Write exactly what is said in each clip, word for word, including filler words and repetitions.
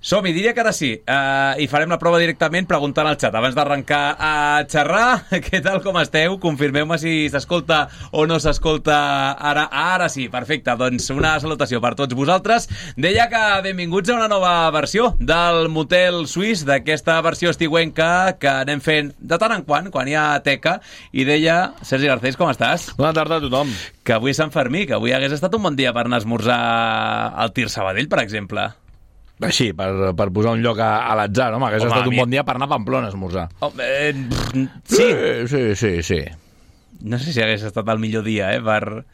Som-hi, diria que ara sí. Uh, I farem la prova directament preguntant al xat. Abans d'arrencar a xerrar, què tal, com esteu? Confirmeu-me si s'escolta o no s'escolta ara. Ara sí, perfecte. Doncs una salutació per tots vosaltres. Deia que benvinguts a una nova versió del Motel Suís, d'aquesta versió estiuenca que anem fent de tant en quant, quan hi ha teca. I deia, Sergi Garcés, com estàs? Bona tarda a tothom. Que avui és Sant Fermí, que avui hagués estat un bon dia per anar a esmorzar al Tir Sabadell, per exemple. Així, per, per posar un lloc a, a l'atzar, no? Hauria estat un mi... bon dia per anar a Pamplona a esmorzar. Oh, eh, sí. sí. Sí, sí, sí. No sé si hagués estat el millor dia, eh? Per...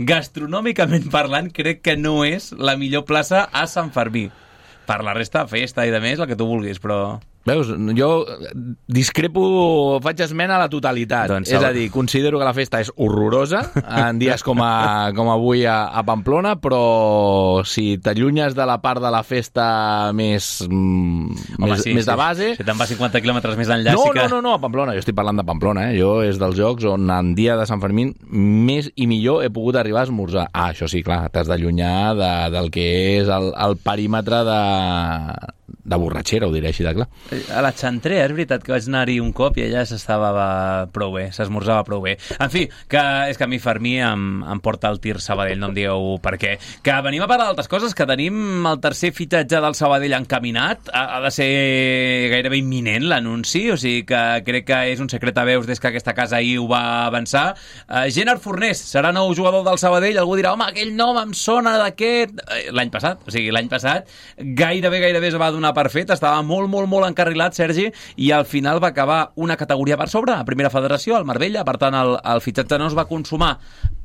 Gastronòmicament parlant, crec que no és la millor plaça a Sant Fermí. Per la resta, festa i de més, el que tu vulguis, però... Veus, jo discrepo, faig esmena a la totalitat. Doncs, és a dir, considero que la festa és horrorosa en dies com, a, com avui a, a Pamplona, però si t'allunyes de la part de la festa més, mm, Home, més, sí, més sí. de base... Si te'n vas cinquanta quilòmetres més enllà... No, sí que... no, no, no, a Pamplona, jo estic parlant de Pamplona, eh? Jo és dels jocs on en dia de Sant Fermín més i millor he pogut arribar a esmorzar. Ah, això sí, clar, t'has d'allunyar de, del que és el, el perímetre de... de borratxera, ho diré així de clar. A la Xantrea, és veritat que vaig anar-hi un cop i allà s'estava prou bé, s'esmorzava prou bé. En fi, que és que a mi Fermí em, em porta el Tir Sabadell, no em digueu per què. Que venim a parlar d'altres coses, que tenim el tercer fitxatge del Sabadell encaminat, ha, ha de ser gairebé imminent l'anunci, o sigui que crec que és un secret a veus des que aquesta casa ahir ho va avançar. Uh, Gennard Fornés serà nou jugador del Sabadell, algú dirà, home, aquell nom em sona d'aquest... L'any passat, o sigui, l'any passat gairebé, gairebé es va donar per fet, estava molt, molt, molt encarrilat, Sergi, i al final va acabar una categoria per sobre, a primera federació, al Marbella, per tant, el, el fitxatge no es va consumar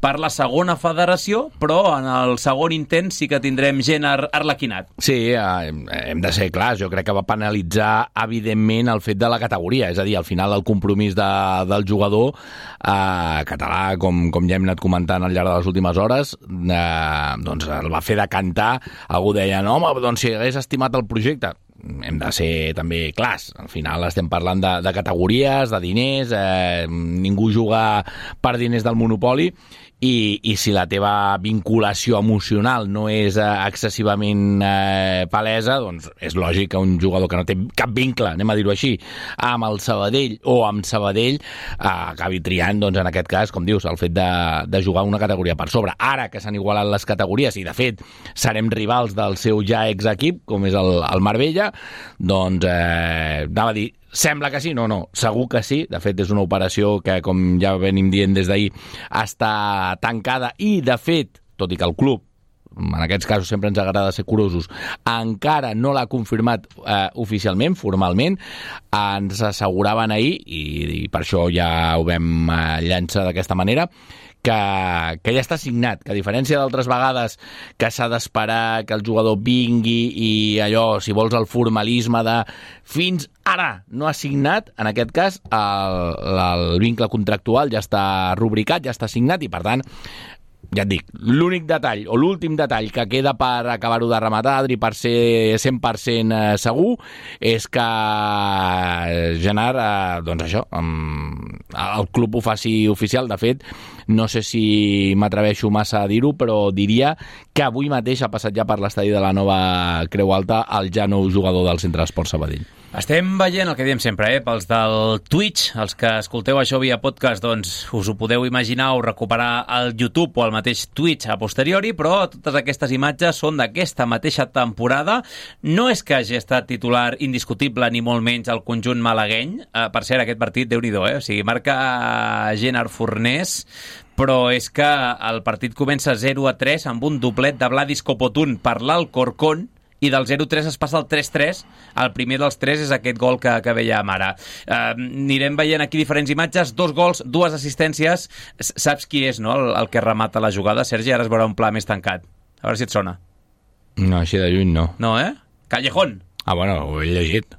per la segona federació, però en el segon intent sí que tindrem gent ar arlequinat. Sí, eh, hem de ser clars, jo crec que va penalitzar, evidentment, el fet de la categoria, és a dir, al final el compromís de, del jugador eh, català, com, com ja hem anat comentant al llarg de les últimes hores, eh, doncs el va fer decantar, algú deia, no, home, doncs si hagués estimat el projecte, hem de ser també clars. Al final estem parlant de, de categories, de diners, eh, ningú juga per diners del monopoli, i, i si la teva vinculació emocional no és eh, excessivament eh, palesa, doncs és lògic que un jugador que no té cap vincle, anem a dir-ho així, amb el Sabadell o amb Sabadell eh, acabi triant, doncs en aquest cas, com dius, el fet de, de jugar una categoria per sobre. Ara que s'han igualat les categories i de fet serem rivals del seu ja exequip, com és el, el Marbella, doncs eh, anava a dir, sembla que sí, no, no, segur que sí. De fet, és una operació que, com ja venim dient des d'ahir, està tancada i, de fet, tot i que el club, en aquests casos sempre ens agrada ser curosos, encara no l'ha confirmat eh, oficialment, formalment, ens asseguraven ahir, i, i per això ja ho vam eh, llançar d'aquesta manera, que, que ja està signat, que a diferència d'altres vegades que s'ha d'esperar que el jugador vingui i allò, si vols, el formalisme de fins ara no ha signat, en aquest cas el, el vincle contractual ja està rubricat, ja està signat i per tant, ja et dic, l'únic detall o l'últim detall que queda per acabar-ho de rematar, Adri, per ser cent per cent segur, és que Gennard, eh, doncs això, el club ho faci oficial. De fet, no sé si m'atreveixo massa a dir-ho, però diria que avui mateix ha passat ja per l'estadi de la nova Creu Alta el ja nou jugador del Centre d'Esport Sabadell. Estem veient el que diem sempre, eh? Pels del Twitch, els que escolteu això via podcast, doncs us ho podeu imaginar o recuperar al YouTube o al mateix Twitch a posteriori, però totes aquestes imatges són d'aquesta mateixa temporada. No és que hagi estat titular indiscutible ni molt menys al conjunt malagueny. Eh, per cert, aquest partit, Déu-n'hi-do, eh? O sigui, marca Gennard Fornés, però és que el partit comença zero a tres amb un doblet de Vladis Copotún per l'Alcorcón, i del zero a tres es passa al tres a tres. El primer dels tres és aquest gol que, que veiem ara. Uh, anirem veient aquí diferents imatges, dos gols, dues assistències. Saps qui és, no?, el, el que remata la jugada, Sergi? Ara es veurà un pla més tancat. A veure si et sona. No, així de lluny no. No, eh? Callejón. Ah, bueno, ho he llegit.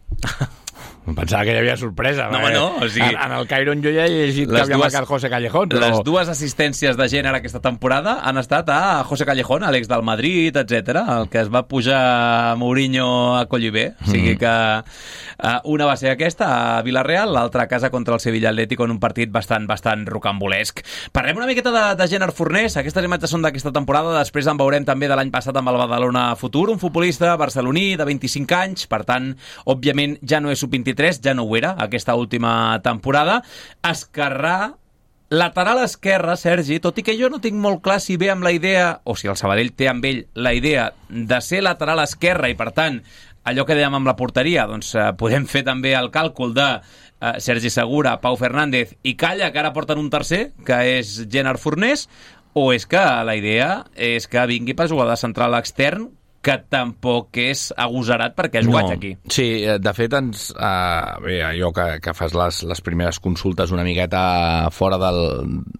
Pensava que hi havia sorpresa. No, no, o sigui... En, en el Cairon jo ja he llegit que havia marcat José Callejón. Però... Les dues assistències de gènere aquesta temporada han estat a José Callejón, a l'ex del Madrid, etcètera, el que es va pujar Mourinho a Collibé. O sigui que uh, una va ser aquesta a Villarreal, l'altra a casa contra el Sevilla Atlético en un partit bastant, bastant rocambolesc. Parlem una miqueta de, de Gerard Fornés. Aquestes imatges són d'aquesta temporada, després en veurem també de l'any passat amb el Badalona Futur, un futbolista barceloní de vint-i-cinc anys, per tant, òbviament ja no és sub vint-i-tres, ja no ho era aquesta última temporada. Esquerrà, lateral esquerre, Sergi, tot i que jo no tinc molt clar si ve amb la idea, o si el Sabadell té amb ell la idea de ser lateral esquerre i, per tant, allò que dèiem amb la porteria, doncs eh, podem fer també el càlcul de eh, Sergi Segura, Pau Fernández i Calla, que ara porten un tercer, que és Gerard Fornés, o és que la idea és que vingui per jugar de central extern, que tampoc és agosarat perquè ha jugat no. aquí. Sí, de fet, ens, uh, bé, allò que, que fas les, les primeres consultes una miqueta fora del,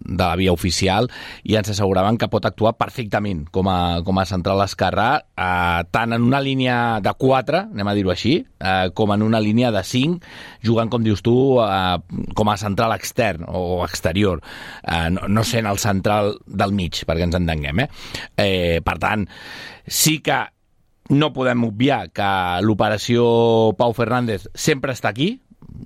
de la via oficial i ens asseguraven que pot actuar perfectament com a, com a central esquerrà, uh, tant en una línia de quatre, anem a dir-ho així, uh, com en una línia de cinc, jugant, com dius tu, uh, com a central extern o exterior, uh, no, no sent el central del mig, perquè ens entenguem. Eh? Eh, per tant, sí que no podem obviar que l'operació Pau Fernández sempre està aquí,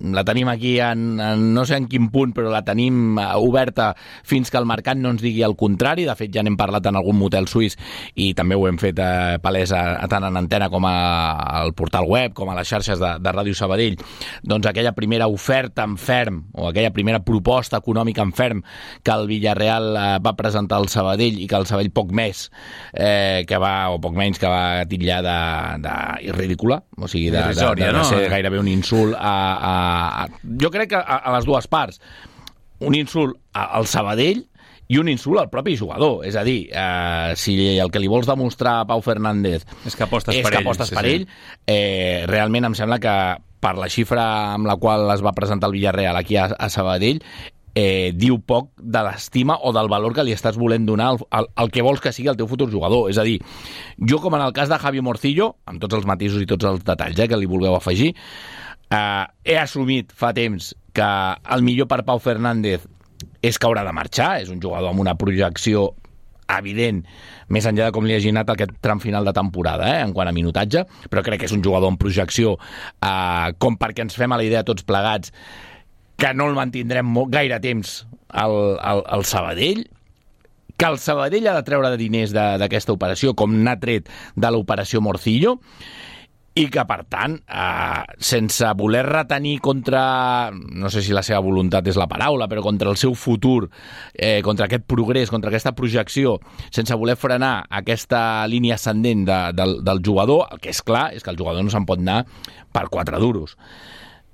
la tenim aquí en, en no sé en quin punt, però la tenim oberta fins que el mercat no ens digui el contrari. De fet, ja n'hem parlat en algun motel suís i també ho hem fet eh, palès a, a tant en antena com a, al portal web, com a les xarxes de, de Ràdio Sabadell. Doncs aquella primera oferta en ferm, o aquella primera proposta econòmica en ferm que el Villarreal eh, va presentar al Sabadell i que el Sabadell poc més eh, que va, o poc menys que va titllar de, de ridícula, o sigui, de, de, de, de, de ser gairebé un insult a, a jo crec que a, a les dues parts, un insult al Sabadell i un insult al propi jugador. És a dir, eh, si el que li vols demostrar a Pau Fernández és que apostes és per que ell, apostes sí, per sí. ell eh, realment em sembla que per la xifra amb la qual es va presentar el Villarreal aquí a, a Sabadell, eh, diu poc de l'estima o del valor que li estàs volent donar al, al, al que vols que sigui el teu futur jugador. És a dir, jo, com en el cas de Javi Morcillo, amb tots els matisos i tots els detalls eh, que li vulgueu afegir, Uh, he assumit fa temps que el millor per Pau Fernández és que haurà de marxar, és un jugador amb una projecció evident, més enllà de com li hagi anat aquest tram final de temporada, eh, en quant a minutatge, però crec que és un jugador amb projecció uh, com perquè ens fem a la idea tots plegats que no el mantindrem molt, gaire temps al, al, al Sabadell, que el Sabadell ha de treure de diners d'aquesta operació, com n'ha tret de l'operació Morcillo, i que, per tant, eh, sense voler retenir contra, no sé si la seva voluntat és la paraula, però contra el seu futur, eh, contra aquest progrés, contra aquesta projecció, sense voler frenar aquesta línia ascendent de, del, del jugador, el que és clar és que el jugador no se'n pot anar per quatre duros.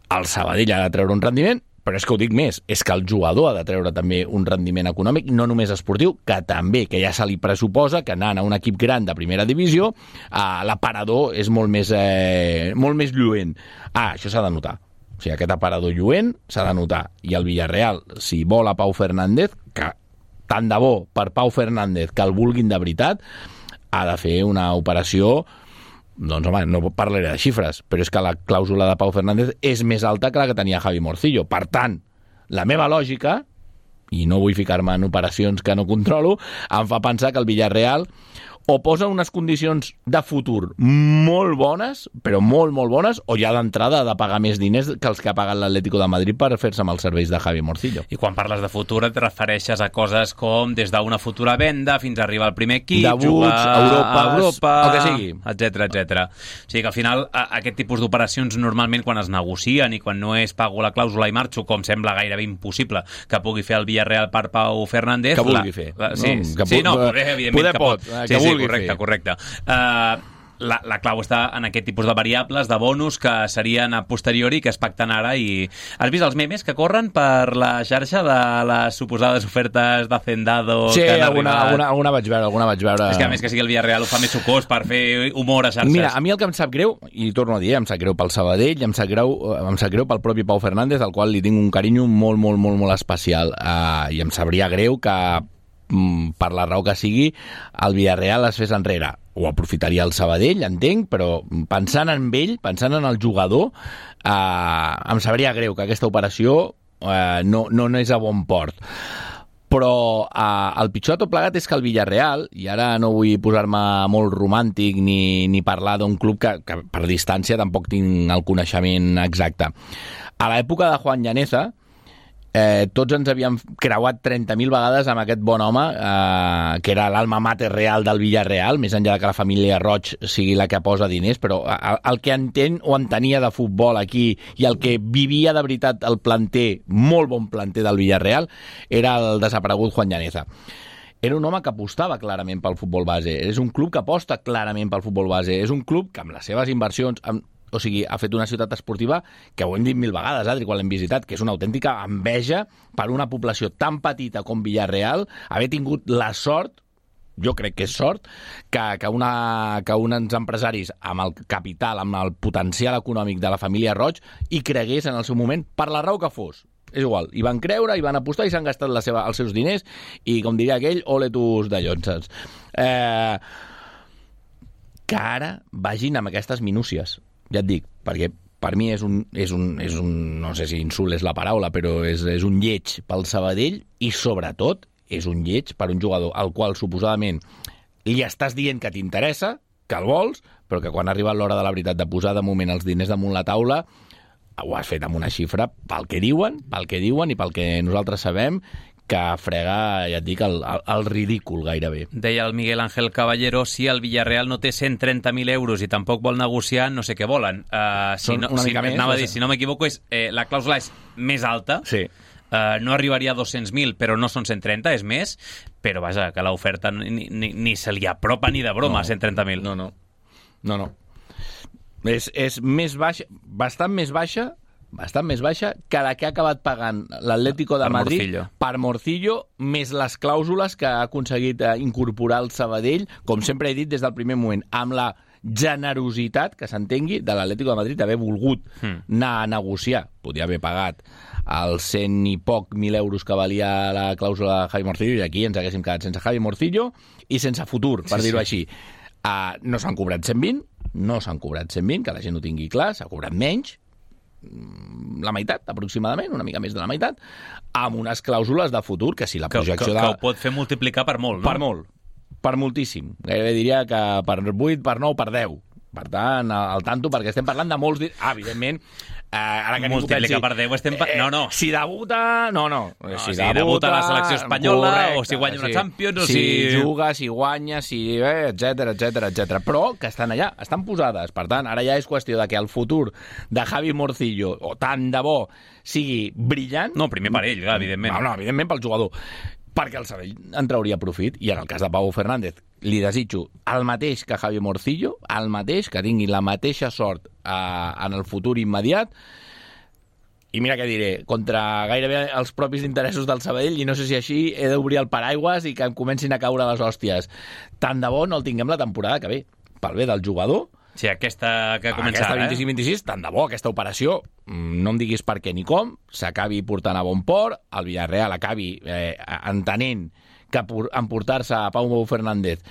El Sabadell ha de treure un rendiment, però és que ho dic més, és que el jugador ha de treure també un rendiment econòmic, no només esportiu, que també, que ja se li pressuposa que anant a un equip gran de primera divisió, eh, l'aparador és molt més, eh, molt més lluent. Ah, això s'ha de notar. O sigui, aquest aparador lluent s'ha de notar. I el Villarreal, si vol a Pau Fernández, que tant de bo per Pau Fernández que el vulguin de veritat, ha de fer una operació. Doncs, home, no parlaré de xifres, però és que la clàusula de Pau Fernández és més alta que la que tenia Javi Morcillo. Per tant, la meva lògica, i no vull ficar-me en operacions que no controlo, em fa pensar que el Villarreal o posa unes condicions de futur molt bones, però molt, molt bones, o ja d'entrada ha de pagar més diners que els que ha pagat l'Atlético de Madrid per fer-se amb els serveis de Javi Morcillo. I quan parles de futur et refereixes a coses com des d'una futura venda fins a arribar al primer equip, Debuts, jugar Europa, a Europa, el que sigui, etcètera, etcètera. O sigui que al final a, aquest tipus d'operacions normalment quan es negocien i quan no és pago la clàusula i marxo, com sembla gairebé impossible que pugui fer el Villarreal per Pau Fernández. Que vulgui la, fer. La, sí, no, que sí, no, poder, poder, evidentment poder que pot. pot, que sí, sí, vulgui correcte, fer. correcte. Uh, la, la clau està en aquest tipus de variables, de bonus, que serien a posteriori, que es pacten ara. I has vist els memes que corren per la xarxa de les suposades ofertes d'Hacendado? Sí, que han alguna, arribat? alguna, alguna vaig veure, alguna vaig veure. És que a més que sigui el Villarreal ho fa més sucós per fer humor a xarxes. Mira, a mi el que em sap greu, i torno a dir, em sap greu pel Sabadell, em sap greu, em sap greu pel propi Pau Fernández, al qual li tinc un carinyo molt, molt, molt, molt especial. Uh, I em sabria greu que, mm, per la raó que sigui, el Villarreal es fes enrere. ho aprofitaria el Sabadell, entenc, però pensant en ell, pensant en el jugador, eh, em sabria greu que aquesta operació eh, no, no, no és a bon port. Però eh, el pitjor de tot plegat és que el Villarreal, i ara no vull posar-me molt romàntic ni, ni parlar d'un club que, que per distància tampoc tinc el coneixement exacte. A l'època de Juan Llaneza, eh, tots ens havíem creuat trenta mil vegades amb aquest bon home, eh, que era l'alma mater real del Villarreal, més enllà que la família Roig sigui la que posa diners, però el, el que entén o entenia de futbol aquí i el que vivia de veritat el planter, molt bon planter del Villarreal, era el desaparegut Juan Llaneza. Era un home que apostava clarament pel futbol base. És un club que aposta clarament pel futbol base. És un club que amb les seves inversions... Amb, o sigui, ha fet una ciutat esportiva que ho hem dit mil vegades, Adri, quan l'hem visitat, que és una autèntica enveja per una població tan petita com Villarreal, haver tingut la sort, jo crec que és sort, que, que, una, que uns empresaris amb el capital, amb el potencial econòmic de la família Roig, hi cregués en el seu moment, per la raó que fos. És igual, hi van creure, hi van apostar i s'han gastat la seva, els seus diners i, com diria aquell, ole tus de llonses. Eh, que ara vagin amb aquestes minúcies. Ja et dic, perquè per mi és un, és un, és un no sé si insult és la paraula, però és, és un lleig pel Sabadell i, sobretot, és un lleig per un jugador al qual, suposadament, li estàs dient que t'interessa, que el vols, però que quan ha arribat l'hora de la veritat de posar de moment els diners damunt la taula, ho has fet amb una xifra pel que diuen, pel que diuen i pel que nosaltres sabem, que frega, ja et dic, el, el, el ridícul gairebé. Deia el Miguel Ángel Caballero, si el Villarreal no té cent trenta mil euros i tampoc vol negociar, no sé què volen. Uh, si Són no, una si, mica més. Anava a dir, si no m'equivoco, és, eh, la clàusula és més alta, sí. uh, no arribaria a dos-cents mil, però no són cent trenta, és més, però vaja, que l'oferta ni, ni, ni se li apropa ni de broma no, a cent trenta mil. No, no. No, no. És, és més baixa, bastant més baixa, bastant més baixa que la que ha acabat pagant l'Atlético de per Madrid Morcillo. per Morcillo, més les clàusules que ha aconseguit incorporar el Sabadell, com sempre he dit des del primer moment, amb la generositat, que s'entengui, de l'Atlético de Madrid d'haver volgut mm. anar a negociar. Podia haver pagat els cent i poc mil euros que valia la clàusula de Javi Morcillo, i aquí ens haguéssim quedat sense Javi Morcillo i sense futur, per sí, dir-ho sí. així. Uh, no s'han cobrat cent vint, no s'han cobrat cent vint, que la gent ho tingui clar, s'ha cobrat menys, la meitat, aproximadament, una mica més de la meitat, amb unes clàusules de futur que si la projecció que, que, de... que ho pot fer multiplicar per molt, no? Per molt, per moltíssim. Gairebé diria que per vuit, per nou, per deu. Per tant, al tanto, perquè estem parlant de molts... Ah, evidentment, eh, ara que multiplicar per deu estem... Pa... No, no. Eh, si debuta... No, no. no si, si debuta, debuta la selecció espanyola, correcte, o si guanya una sí. Champions, o si... si... juga, si guanya, si... Eh, etcètera, etcètera, etcètera. Però que estan allà, estan posades. Per tant, ara ja és qüestió de que el futur de Javi Morcillo, o tant de bo, sigui brillant... No, primer per ell, evidentment. No, no, evidentment pel jugador. Perquè el Sabadell en trauria profit, i en el cas de Pau Fernández li desitjo el mateix que Javi Morcillo, el mateix, que tingui la mateixa sort eh, en el futur immediat, i mira què diré, contra gairebé els propis interessos del Sabadell, i no sé si així he d'obrir el paraigües i que em comencin a caure les hòsties. Tant de bo no el tinguem la temporada que ve, pel bé del jugador. Sí, aquesta que comença aquesta ara, vint-i-cinc vint-i-sis, tant de bo, aquesta operació, no em diguis per què ni com, s'acabi portant a bon port, el Villarreal acabi eh, entenent que emportar-se a Pau Fernández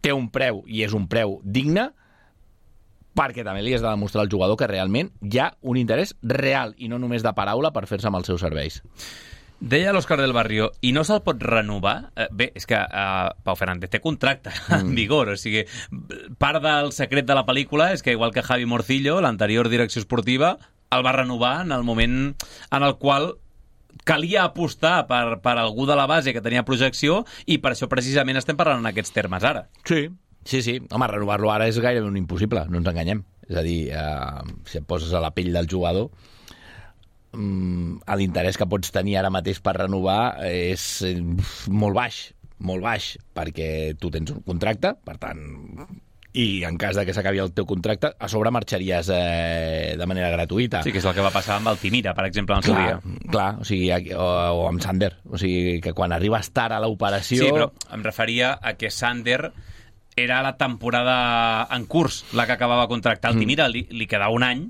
té un preu, i és un preu digne, perquè també li has de demostrar al jugador que realment hi ha un interès real, i no només de paraula, per fer-se amb els seus serveis. Deia l'Òscar del Barrio, i no se'l pot renovar? Eh, bé, és que eh, Pau Fernández té contracte mm. en vigor, o sigui, part del secret de la pel·lícula és que, igual que Javi Morcillo, l'anterior direcció esportiva, el va renovar en el moment en el qual calia apostar per, per algú de la base que tenia projecció, i per això precisament estem parlant en aquests termes ara. Sí, sí, sí. Home, renovar-lo ara és gairebé un impossible, no ens enganyem. És a dir, eh, si et poses a la pell del jugador, l'interès que pots tenir ara mateix per renovar és molt baix, molt baix, perquè tu tens un contracte, per tant, i en cas de que s'acabi el teu contracte, a sobre marxaries eh, de manera gratuïta. Sí, que és el que va passar amb Altimira, per exemple, en el seu dia. Clar, o, sigui, o, o amb Sander. O sigui, que quan arribes tard a l'operació... Sí, però em referia a que Sander era la temporada en curs, la que acabava de contractar. Altimira li, li quedava un any,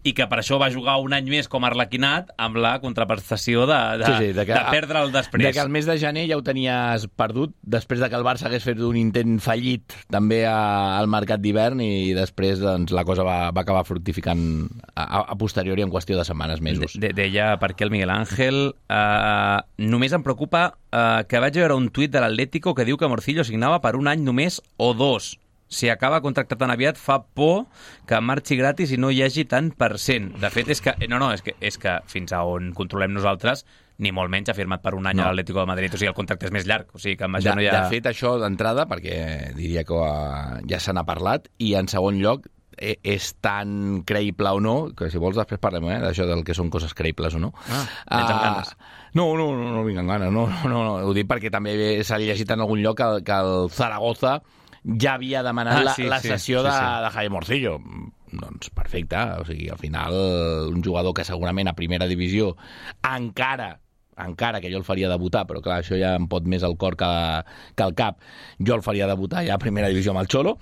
i que per això va jugar un any més com a Arlequinat amb la contraprestació de, de, sí, sí, de, que, de perdre'l després. De que el mes de gener ja ho tenies perdut, després de que el Barça hagués fet un intent fallit també a, al mercat d'hivern, i després doncs, la cosa va, va acabar fructificant a, a posteriori en qüestió de setmanes, mesos. De, de, deia per què el Miguel Ángel eh, només em preocupa eh, que vaig veure un tuit de l'Atlético que diu que Morcillo signava per un any només o dos. Si acaba contractat tan aviat, fa por que marxi gratis i no hi hagi tant per cent. De fet, és que, no, no, és que, és que fins a on controlem nosaltres, ni molt menys ha firmat per un any no. a l'Atlético de Madrid. O sigui, el contracte és més llarg. O sigui, que amb això de, no hi ha... de fet, això d'entrada, perquè diria que uh, ja se n'ha parlat, i en segon lloc, eh, és tan creïble o no, que si vols després parlem eh, d'això del que són coses creïbles o no. Ah, tens amb ganes. Uh, no, no, no, no vinc amb ganes. No, no, no, no. Ho dic perquè també s'ha llegit en algun lloc que, que el Zaragoza ja havia demanat ah, la, sí, la sessió sí, sí, de, sí. de Jaime Morcillo. Doncs perfecte, o sigui, al final un jugador que segurament a primera divisió encara encara que jo el faria debutar, però clar, això ja em pot més el cor que, que el cap, jo el faria debutar ja a primera divisió amb el Xolo,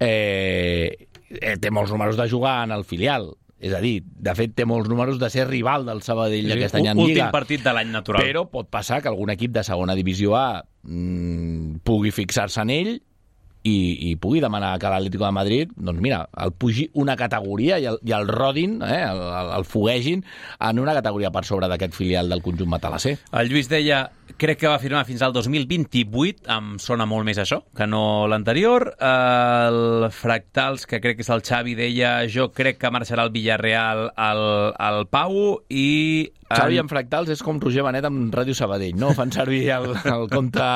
eh, eh, té molts números de jugar en el filial, és a dir, de fet té molts números de ser rival del Sabadell sí, aquest any en Lliga. Últim partit de l'any natural. Però pot passar que algun equip de segona divisió A mmm, pugui fixar-se en ell i, i pugui demanar que l'Atlético de Madrid, doncs mira, el pugi una categoria i el, i el rodin, eh, el, el foguegin en una categoria per sobre d'aquest filial del conjunt matalasser. El Lluís deia, crec que va firmar fins al dos mil vint-i-vuit, em sona molt més això que no l'anterior. El Fractals, que crec que és el Xavi, deia, jo crec que marxarà al Villarreal al, al Pau, i... Xavi en Fractals és com Roger Benet amb Ràdio Sabadell, no? Fan servir el, el compte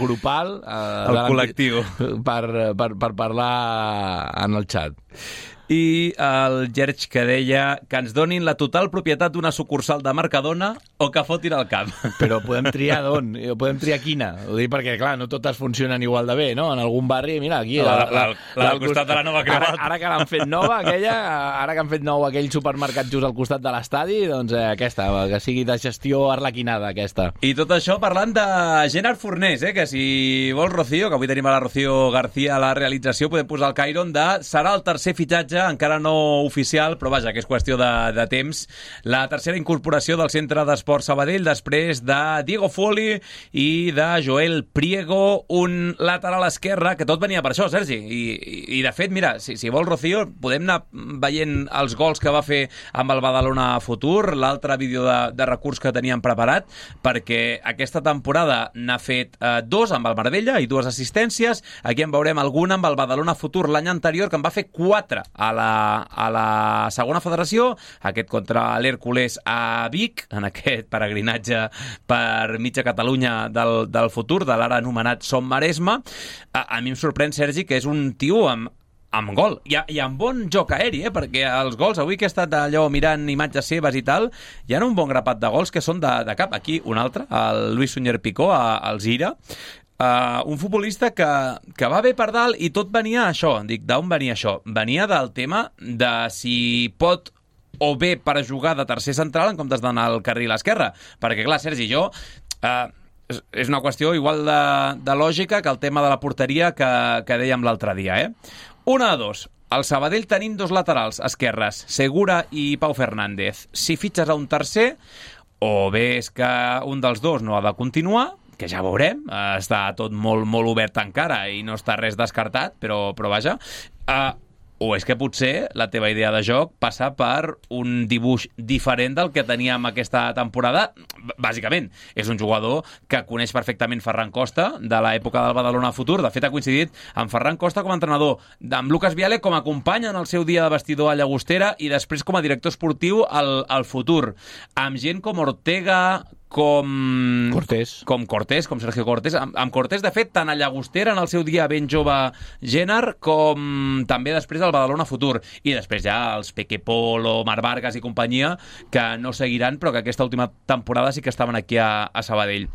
grupal, eh, el col·lectiu, per, per, per parlar en el xat. I el Gerg, que deia que ens donin la total propietat d'una sucursal de Mercadona o que fotin al camp. Però podem triar d'on, podem triar quina. Ho dic perquè, clar, no totes funcionen igual de bé, no? En algun barri, mira, aquí... La, la, la, la, la del costat de la Nova Creuat. Ara, ara que l'han fet nova, aquella, ara que han fet nou aquell supermercat just al costat de l'estadi, doncs eh, aquesta, que sigui de gestió arlequinada, aquesta. I tot això parlant de Gerard Fornés, eh, que si vols, Rocío, que avui tenim a la Rocío García a la realització, podem posar el Cairon de serà el tercer fitxatge, encara no oficial, però vaja, que és qüestió de, de temps. La tercera incorporació del Centre d'Esport Sabadell després de Diego Foli i de Joel Priego, un lateral esquerre, que tot venia per això, Sergi. I, i, i de fet, mira, si, si vols, Rocío, podem anar veient els gols que va fer amb el Badalona Futur, l'altre vídeo de, de recurs que teníem preparat, perquè aquesta temporada n'ha fet eh, dos amb el Marbella i dues assistències. Aquí en veurem alguna amb el Badalona Futur l'any anterior, que en va fer quatre a la a la segona federació, aquest contra l'Hèrcules a Vic, en aquest peregrinatge per mitja Catalunya del, del futur, de l'ara anomenat Som Maresme. A, a mi em sorprèn, Sergi, que és un tio amb amb gol, i, i amb bon joc aeri, eh? Perquè els gols, avui que he estat allò mirant imatges seves i tal, hi ha un bon grapat de gols que són de, de cap. Aquí un altre, el Luis Suñer Picó, al Zira. Uh, un futbolista que, que va bé per dalt, i tot venia això. Dic, d'on venia això? Venia del tema de si pot o bé per jugar de tercer central en comptes d'anar al carril esquerre. Perquè, clar, Sergi, jo... Uh, és una qüestió igual de, de lògica que el tema de la porteria que, que dèiem l'altre dia, eh? Una de dos. Al Sabadell tenim dos laterals esquerres, Segura i Pau Fernández. Si fitxes a un tercer, o bé és que un dels dos no ha de continuar, que ja veurem, està tot molt, molt obert encara i no està res descartat, però, però vaja... Uh, o és que potser la teva idea de joc passa per un dibuix diferent del que teníem aquesta temporada. Bàsicament, és un jugador que coneix perfectament Ferran Costa, de l'època del Badalona Futur. De fet, ha coincidit amb Ferran Costa com a entrenador, amb Lucas Viale com a company en el seu dia de vestidor a Llagostera i després com a director esportiu al, al Futur. Amb gent com Ortega, com Cortés, com Cortés, com Sergio Cortés. Amb, amb Cortés, de fet, tant a Llagostera en el seu dia ben jove Génard, com també després al Badalona Futur. I després ja els Peque Polo, Marc Vargas i companyia, que no seguiran, però que aquesta última temporada sí que estaven aquí a, a Sabadell.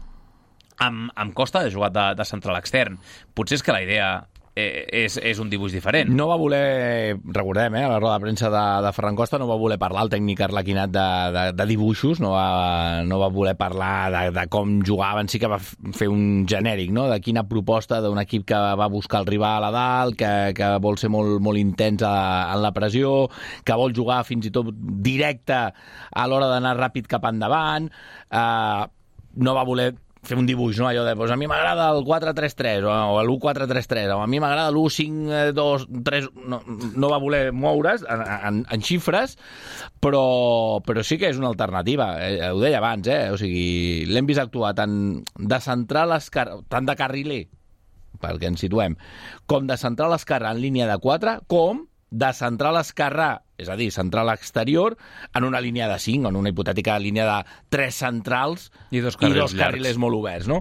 Amb, amb Costa ha jugat de, de central extern. Potser és que la idea eh, és, és un dibuix diferent. No va voler, recordem, eh, a la roda de premsa de, de Ferran Costa, no va voler parlar el tècnic arlequinat de, de, de dibuixos, no va, no va voler parlar de, de com jugaven, sí que va fer un genèric, no?, de quina proposta d'un equip que va buscar el rival a dalt, que, que vol ser molt, molt intens a, en la pressió, que vol jugar fins i tot directe a l'hora d'anar ràpid cap endavant, eh, no va voler fer un dibuix, no? Allò de, doncs a mi m'agrada el quatre tres tres o, o l'u quatre tres tres o a mi m'agrada l'u cinc dos tres... No, no va voler moure's en, en, en xifres, però, però sí que és una alternativa. Eh, ho deia abans, eh? O sigui, l'hem vist actuar tant de centrar l'esquerra, tant de carriler, perquè ens situem, com de centrar l'esquerra en línia de quatre, com de centrar l'esquerra, és a dir, centrar l'exterior, en una línia de cinc, en una hipotètica línia de tres centrals i dos carrils, i dos carrils molt oberts, no?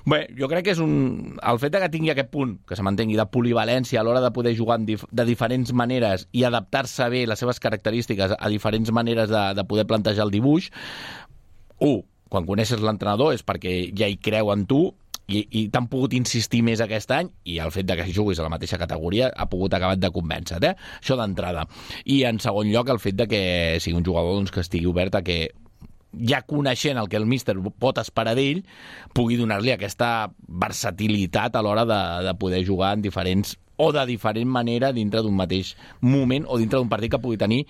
Bé, jo crec que és un... El fet que tingui aquest punt, que se mantengui, de polivalència a l'hora de poder jugar dif... de diferents maneres i adaptar-se bé les seves característiques a diferents maneres de, de poder plantejar el dibuix, un, quan coneixes l'entrenador és perquè ja hi creu en tu, i, i t'han pogut insistir més aquest any, i el fet de que juguis a la mateixa categoria ha pogut acabar de convèncer, eh? Això d'entrada. I en segon lloc el fet de que sigui un jugador doncs, que estigui obert a que, ja coneixent el que el míster pot esperar d'ell, pugui donar-li aquesta versatilitat a l'hora de, de poder jugar en diferents, o de diferent manera dintre d'un mateix moment o dintre d'un partit que pugui tenir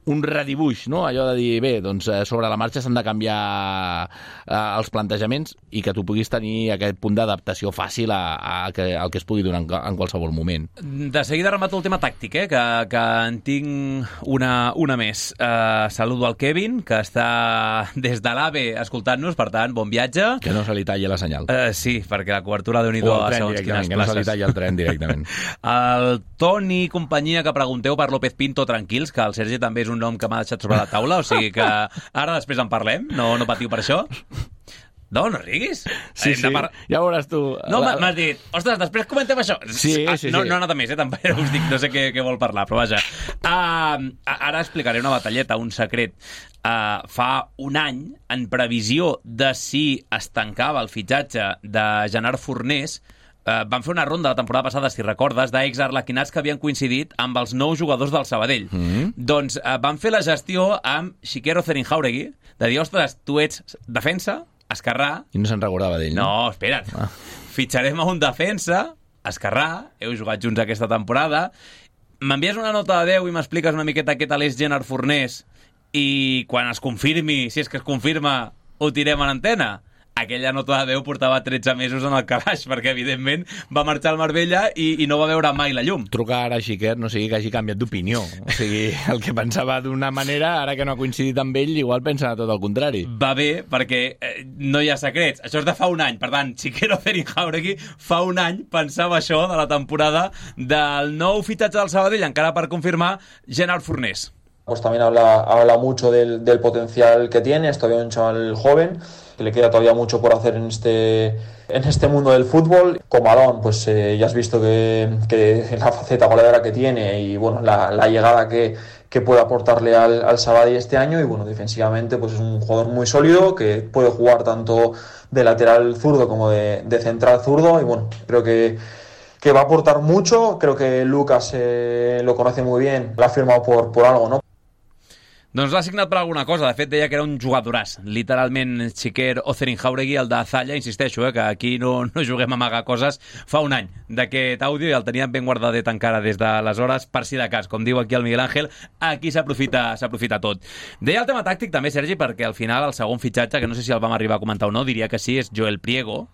un redibuix, no? Allò de dir, bé, doncs sobre la marxa s'han de canviar eh, els plantejaments i que tu puguis tenir aquest punt d'adaptació fàcil a, a que, al que es pugui donar en, en qualsevol moment. De seguida remato el tema tàctic, eh? que, que en tinc una, una més. Uh, saludo al Kevin, que està des de l'AVE escoltant-nos, per tant, bon viatge. Que no se li talli la senyal. Uh, sí, perquè la cobertura de Unido a segons quines que no se li talli el tren directament. El Toni i companyia, que pregunteu per López Pinto, tranquils, que el Sergi també és un nom que m'ha deixat sobre la taula, o sigui que ara després en parlem, no, no patiu per això. No, no riguis. Sí, sí, par... ja veuràs tu. No, la... m'has dit, ostres, després comentem això. Sí, sí, sí. No, no ha anat a més, eh, també us dic, no sé què, què vol parlar, però vaja. Uh, ara explicaré una batalleta, un secret. Uh, fa un any, en previsió de si es tancava el fitxatge de Gerard Fornés, Uh, van fer una ronda la temporada passada, si recordes, d'ex-arlequinats que havien coincidit amb els nous jugadors del Sabadell. Mm-hmm. Doncs uh, van fer la gestió amb Xiquero Zerinjauregui, de dir, ostres, tu ets defensa, esquerrà... I no se'n recordava d'ell, no? No, espera't. Ah. Fitxarem a un defensa, esquerrà, heu jugat junts aquesta temporada, m'envies una nota de deu i m'expliques una miqueta què tal és Gerard Fornés i quan es confirmi, si és que es confirma, ho tirem a l'antena. Aquella nota de deu portava tretze mesos en el calaix, perquè, evidentment, va marxar al Marbella i, i no va veure mai la llum. Truca ara a Xiquer, no sigui que hagi canviat d'opinió. O sigui, el que pensava d'una manera, ara que no ha coincidit amb ell, igual pensa tot el contrari. Va bé, perquè eh, no hi ha secrets. Això és de fa un any. Per tant, Xiquero Zerinjauregui fa un any pensava això de la temporada del nou fitxatge del Sabadell, encara per confirmar, Gerard Fornés. Pues también habla, habla mucho del, del potencial que tiene, es todavía un chaval joven, que le queda todavía mucho por hacer en este, en este mundo del fútbol. Comadón, pues eh, ya has visto que, que la faceta goleadora que tiene y bueno, la, la llegada que, que puede aportarle al, al Sabadell este año, y bueno, defensivamente pues es un jugador muy sólido que puede jugar tanto de lateral zurdo como de, de central zurdo, y bueno, creo que que va a aportar mucho. Creo que Lucas eh, lo conoce muy bien, lo ha firmado por, por algo, ¿no? Doncs l'ha signat per alguna cosa. De fet, deia que era un jugadoràs. Literalment, Xiquer o Zerinjauregui, el de Zalla, insisteixo, eh, que aquí no, no juguem a amagar coses. Fa un any d'aquest àudio i el teníem ben guardadet encara des d'aleshores, per si de cas. Com diu aquí el Miguel Ángel, aquí s'aprofita s'aprofita tot. Deia el tema tàctic també, Sergi, perquè al final el segon fitxatge, que no sé si el vam arribar a comentar o no, diria que sí, és Joel Priego,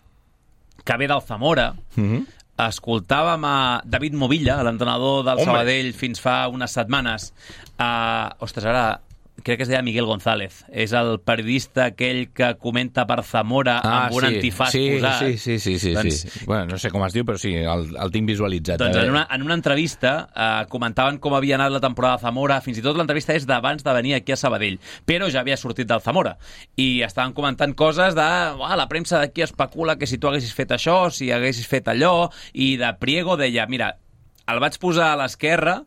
que ve del Zamora. Mm-hmm. Escoltàvem a David Movilla, l'entrenador del Home. Sabadell, fins fa unes setmanes. Uh, ostres, ara crec que es deia Miguel González. És el periodista aquell que comenta per Zamora ah, amb un sí. antifàs sí, posat. Sí, sí, sí, sí, doncs, sí. Bueno, no sé com es diu, però sí, el, el tinc visualitzat. Doncs en una, en una entrevista eh, comentaven com havia anat la temporada de Zamora. Fins i tot l'entrevista és d'abans de venir aquí a Sabadell, però ja havia sortit del Zamora. I estaven comentant coses de ah, la premsa d'aquí especula que si tu haguessis fet això, si haguessis fet allò, i de Priego deia, mira, el vaig posar a l'esquerra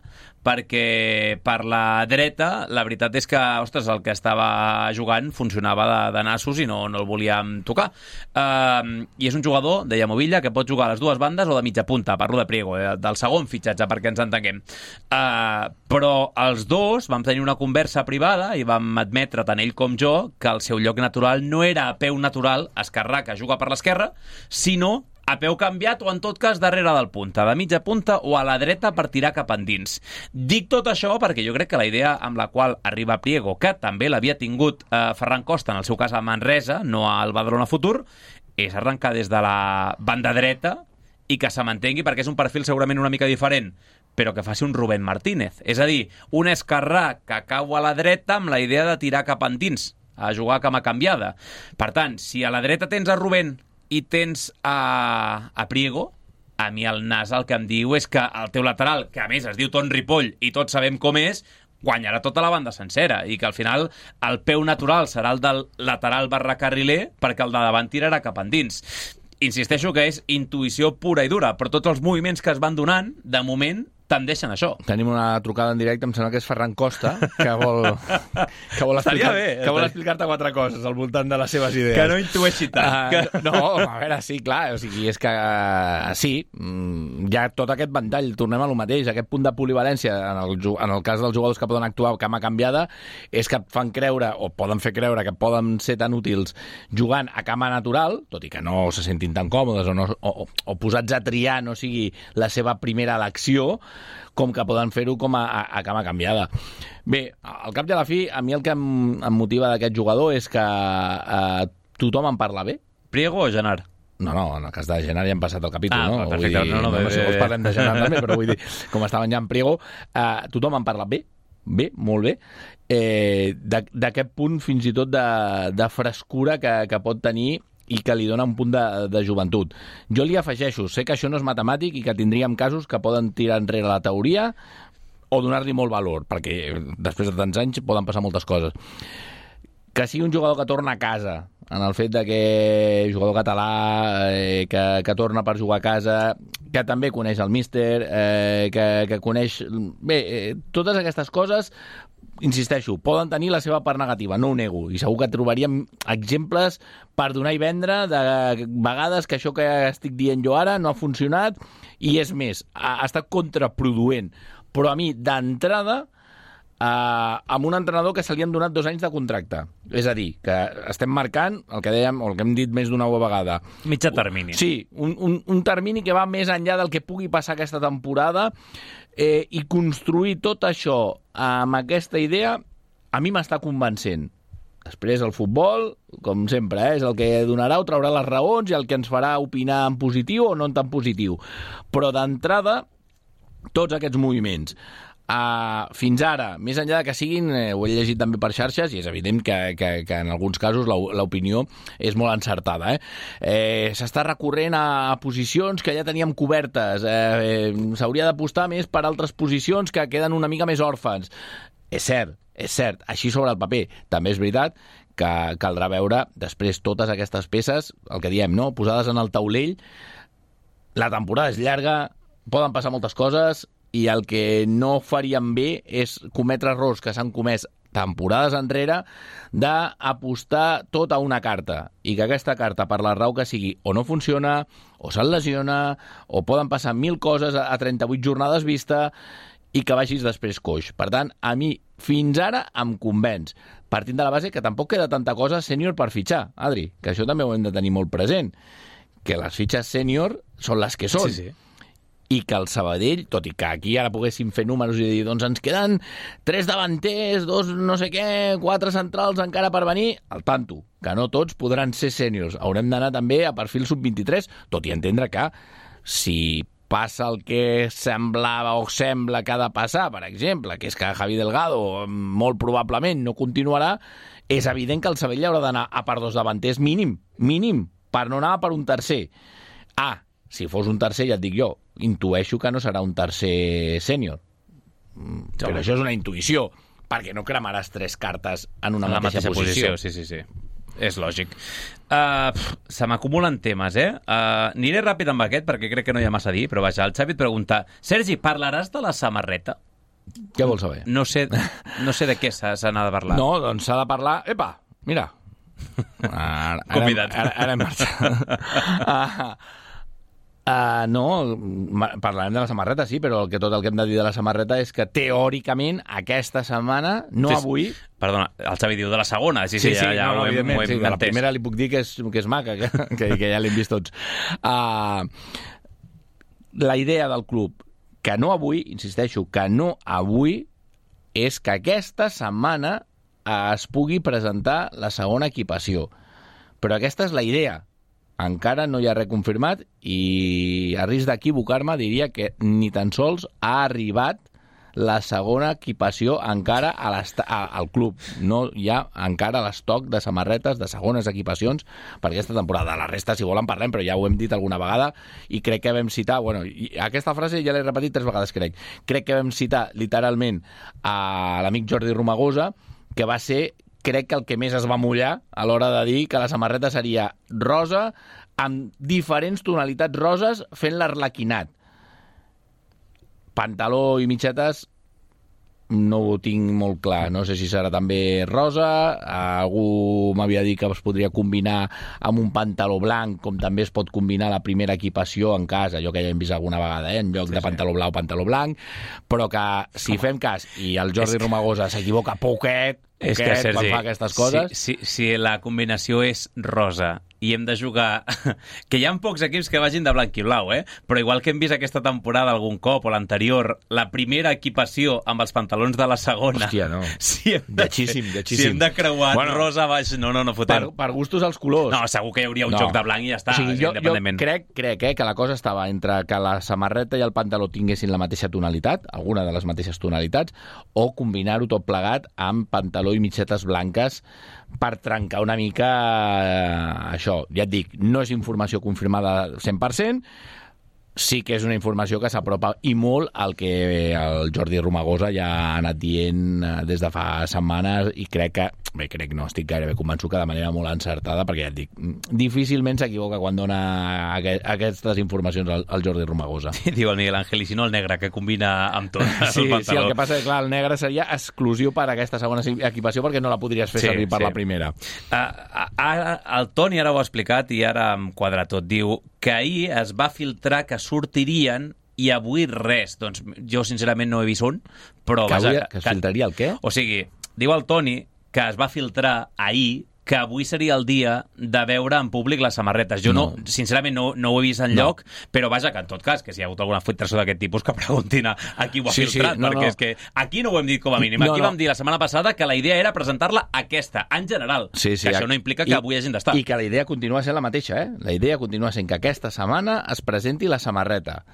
perquè per la dreta la veritat és que, ostres, el que estava jugant funcionava de, de nassos i no, no el volíem tocar. Uh, I és un jugador, deia Movilla, que pot jugar a les dues bandes o de mitja punta, parlo de Priego, eh, del segon fitxatge, perquè ens entenguem. Uh, però els dos vam tenir una conversa privada i vam admetre, tant ell com jo, que el seu lloc natural no era a peu natural, esquerrà, que juga per l'esquerra, sinó a peu canviat o, en tot cas, darrere del punta, de mitja punta o a la dreta per tirar cap endins. Dic tot això perquè jo crec que la idea amb la qual arriba Priego, que també l'havia tingut eh, Ferran Costa, en el seu cas a Manresa, no al Badalona Futur, és arrencar des de la banda dreta i que se mantengui, perquè és un perfil segurament una mica diferent, però que faci un Rubén Martínez. És a dir, un esquerrà que cau a la dreta amb la idea de tirar cap endins, a jugar cama canviada. Per tant, si a la dreta tens a Rubén i tens a, a Priego, a mi el nas el que em diu és que el teu lateral, que a més es diu Ton Ripoll i tots sabem com és, guanyarà tota la banda sencera i que al final el peu natural serà el del lateral barra carriler perquè el de davant tirarà cap endins. Insisteixo que és intuïció pura i dura, però tots els moviments que es van donant, de moment, tendeixen això. Tenim una trucada en directe, em sembla que és Ferran Costa, que vol, que vol, explicar, bé, que vol explicar-te quatre coses al voltant de les seves idees. Que no intueixi tant. Uh, que... No, a veure, sí, clar, o sigui, és que uh, sí, hi ha tot aquest ventall, tornem a lo mateix, aquest punt de polivalència, en el, en el cas dels jugadors que poden actuar cama canviada, és que fan creure, o poden fer creure, que poden ser tan útils jugant a cama natural, tot i que no se sentin tan còmodes, o, no, o, o posats a triar no sigui la seva primera elecció, com que poden fer-ho com a, a, a cama canviada. Bé, al cap i a la fi, a mi el que em, em motiva d'aquest jugador és que eh, tothom en parla bé. Priego o Genard? No, no, en el cas de Genard ja hem passat el capítol, ah, no? Perfecte, vull dir, no, no, no, bé, no sé, bé, bé. Parlem de Genard també, però vull dir, com estaven ja en Priego, eh, tothom en parla bé, bé, molt bé, eh, d'aquest punt fins i tot de, de frescura que, que pot tenir i que li dona un punt de, de joventut. Jo li afegeixo, sé que això no és matemàtic i que tindríem casos que poden tirar enrere la teoria o donar-li molt valor, perquè després de tants anys poden passar moltes coses. Que sigui un jugador que torna a casa, en el fet de que jugador català, eh, que, que torna per jugar a casa, que també coneix el míster, eh, que, que coneix... Bé, eh, totes aquestes coses, insisteixo, poden tenir la seva part negativa, no ho nego, i segur que trobaríem exemples per donar i vendre de vegades que això que estic dient jo ara no ha funcionat, i és més, ha, ha estat contraproduent. Però a mi, d'entrada, eh, amb un entrenador que se li han donat dos anys de contracte. És a dir, que estem marcant el que dèiem, o el que hem dit més d'una vegada. Mitjà termini. Sí, un, un, un termini que va més enllà del que pugui passar aquesta temporada, eh, i construir tot això amb aquesta idea a mi m'està convencent. Després el futbol, com sempre, eh, és el que donarà o traurà les raons i el que ens farà opinar en positiu o no en tan positiu. Però d'entrada, tots aquests moviments, Uh, fins ara, més enllà de que siguin, eh, ho he llegit també per xarxes, i és evident que, que, que en alguns casos l'opinió és molt encertada, eh? Eh, s'està recorrent a, a posicions que ja teníem cobertes, eh, eh, s'hauria d'apostar més per altres posicions que queden una mica més òrfans. És cert, és cert, així sobre el paper. També és veritat que caldrà veure després totes aquestes peces, el que diem, no? Posades en el taulell. La temporada és llarga, poden passar moltes coses, i el que no faríem bé és cometre errors que s'han comès temporades enrere d'apostar tot a una carta, i que aquesta carta, per la raó que sigui, o no funciona, o se'n lesiona, o poden passar mil coses a trenta-vuit jornades vista, i que vagis després coix. Per tant, a mi, fins ara, em convenç, partint de la base que tampoc queda tanta cosa sènior per fitxar, Adri, que això també ho hem de tenir molt present, que les fitxes sènior són les que són. Sí, sí. I que el Sabadell, tot i que aquí ara poguéssim fer números i dir, doncs ens queden tres davanters, dos no sé què, quatre centrals encara per venir, al tanto, que no tots podran ser sèniors. Haurem d'anar també a perfil sub vint-i-tres, tot i entendre que si passa el que semblava o sembla que ha de passar, per exemple, que és que Javi Delgado molt probablement no continuarà, és evident que el Sabadell haurà d'anar a per dos davanters mínim, mínim, per no anar per un tercer. Ah, si fos un tercer, ja et dic jo, intueixo que no serà un tercer sènior. Però això és una intuïció, perquè no cremaràs tres cartes en una en mateixa, mateixa posició. posició. Sí, sí, sí. és lògic. Uh, pff, se m'acumulen temes, eh? Uh, aniré ràpid amb aquest, perquè crec que no hi ha massa a dir, però vaja, el Xavi et pregunta: Sergi, parlaràs de la samarreta? Què vols saber? No sé, no sé de què s'ha de parlar. No, doncs s'ha de parlar... Epa, mira. Ara, Convidat. Ara, ara, ara hem marxat. uh, uh, no, parlarem de la samarreta, sí, però el que, tot el que hem de dir de la samarreta és que teòricament aquesta setmana, no sí, avui... Perdona, el Xavi diu de la segona. Sí, sí, sí, ja, ja no, ho hem, ho hem sí, de la primera li puc dir que és, que és maca, que, que, que ja l'hem vist tots. Uh, la idea del club, que no avui, insisteixo, que no avui, és que aquesta setmana es pugui presentar la segona equipació. Però aquesta és la idea. Encara no hi ha res confirmat i a risc d'equivocar-me diria que ni tan sols ha arribat la segona equipació encara a a, al club. No hi ha encara l'estoc de samarretes de segones equipacions per aquesta temporada. La resta, si volen, parlem, però ja ho hem dit alguna vegada i crec que vam citar... Bueno, aquesta frase ja l'he repetit tres vegades, crec. Crec que vam citar literalment a l'amic Jordi Romagosa, que va ser, crec que el que més es va mullar a l'hora de dir que la samarreta seria rosa amb diferents tonalitats roses fent l'arlequinat. Pantaló i mitgetes no ho tinc molt clar. No sé si serà també rosa. Algú m'havia dit que es podria combinar amb un pantaló blanc, com també es pot combinar la primera equipació en cas, allò que ja hem vist alguna vegada, eh? En lloc sí, de pantaló blau, pantaló blanc. Però que si fem cas i el Jordi Romagosa s'equivoca poquet, és que, Sergi, quan fa aquestes coses... Si, si, si la combinació és rosa i hem de jugar... que hi ha pocs equips que vagin de blanc i blau, eh? Però igual que hem vist aquesta temporada algun cop o l'anterior, la primera equipació amb els pantalons de la segona... Hòstia, no. Si hem de, lletxíssim, lletxíssim. Si hem de creuar bueno, rosa baix... No, no, no fotem. Per, per gustos els colors. No, segur que hi hauria un no. joc de blanc i ja està, o sigui, jo, independentment. Jo crec, crec eh, que la cosa estava entre que la samarreta i el pantaló tinguessin la mateixa tonalitat, alguna de les mateixes tonalitats, o combinar-ho tot plegat amb pantaló i mitgetes blanques per trencar una mica eh, això. Ja et dic, no és informació confirmada cent per cent, sí que és una informació que s'apropa i molt al que el Jordi Romagosa ja ha anat dient des de fa setmanes i crec que, bé, crec no, estic gairebé convençut que de manera molt encertada, perquè ja et dic, difícilment s'equivoca quan dona aquestes informacions al, al Jordi Romagosa. Sí, diu el Miguel Ángel, i si no el negre, que combina amb tot. Sí, el sí, el que passa és que clar, el negre seria exclusiu per a aquesta segona equipació perquè no la podries fer sí, servir per sí. la primera. Uh, ara, el Toni ara ho ha explicat i ara em quadra tot. Diu que ahir es va filtrar que sortirien i avui res. Doncs jo sincerament no he vist un, però... Que, vaja, avui, que es filtraria el què? O sigui, diu el Toni que es va filtrar ahir que avui seria el dia de veure en públic les samarretes. Jo, no, no sincerament, no, no ho he vist enlloc, no. Però vaja, que en tot cas, que si hi ha hagut alguna filtració d'aquest tipus, que preguntin a, a qui ho ha sí, filtrat, sí, no, perquè no. és que aquí no ho hem dit com a mínim. Aquí no, no. vam dir la setmana passada que la idea era presentar-la aquesta, en general. Sí, sí, que això no implica que i, avui hagin d'estar. I que la idea continua sent la mateixa, eh? La idea continua sent que aquesta setmana es presenti la samarreta.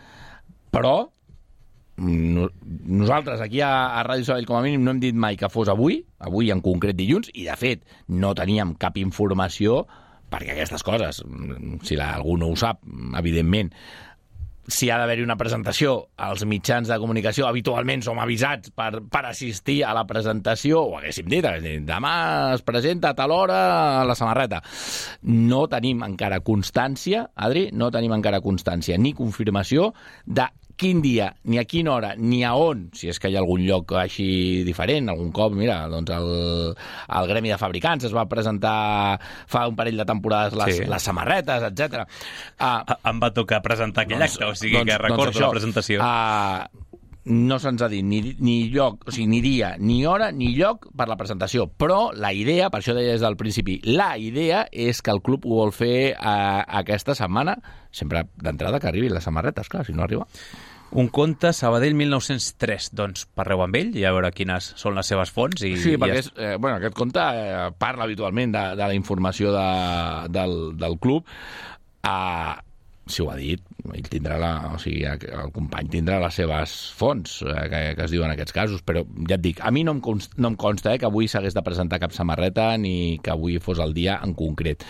Però nosaltres aquí a, a Ràdio Sabadell com a mínim no hem dit mai que fos avui, avui en concret dilluns, i de fet no teníem cap informació, perquè aquestes coses, si la, algú no ho sap, evidentment, si ha d'haver-hi una presentació, els mitjans de comunicació habitualment som avisats per, per assistir a la presentació, o haguéssim dit, demà es presenta a tal hora la samarreta. No tenim encara constància, Adri, no tenim encara constància ni confirmació de quin dia, ni a quina hora, ni a on, si és que hi ha algun lloc així diferent, algun cop, mira, doncs el, el Gremi de Fabricants es va presentar fa un parell de temporades les, sí. les samarretes, etcètera. Uh, em va tocar presentar aquell doncs, acte, o sigui doncs, que recordo doncs això, la presentació. Uh, no se'ns ha dit ni, ni lloc, o sigui, ni dia, ni hora, ni lloc per la presentació, però la idea, per això deia des del principi, la idea és que el club ho vol fer uh, aquesta setmana, sempre d'entrada que arribin les samarretes, clar, si no arriba. Un conte Sabadell mil nou-cents tres, doncs parleu amb ell i a veure quines són les seves fonts. I, sí, perquè i és, eh, bueno, aquest conte eh, parla habitualment de, de la informació de, del, del club. Uh, si ho ha dit, ell tindrà la, o sigui, el company tindrà les seves fonts eh, que, que es diuen en aquests casos, però ja et dic, a mi no em consta, no em consta eh, que avui s'hagués de presentar cap samarreta ni que avui fos el dia en concret.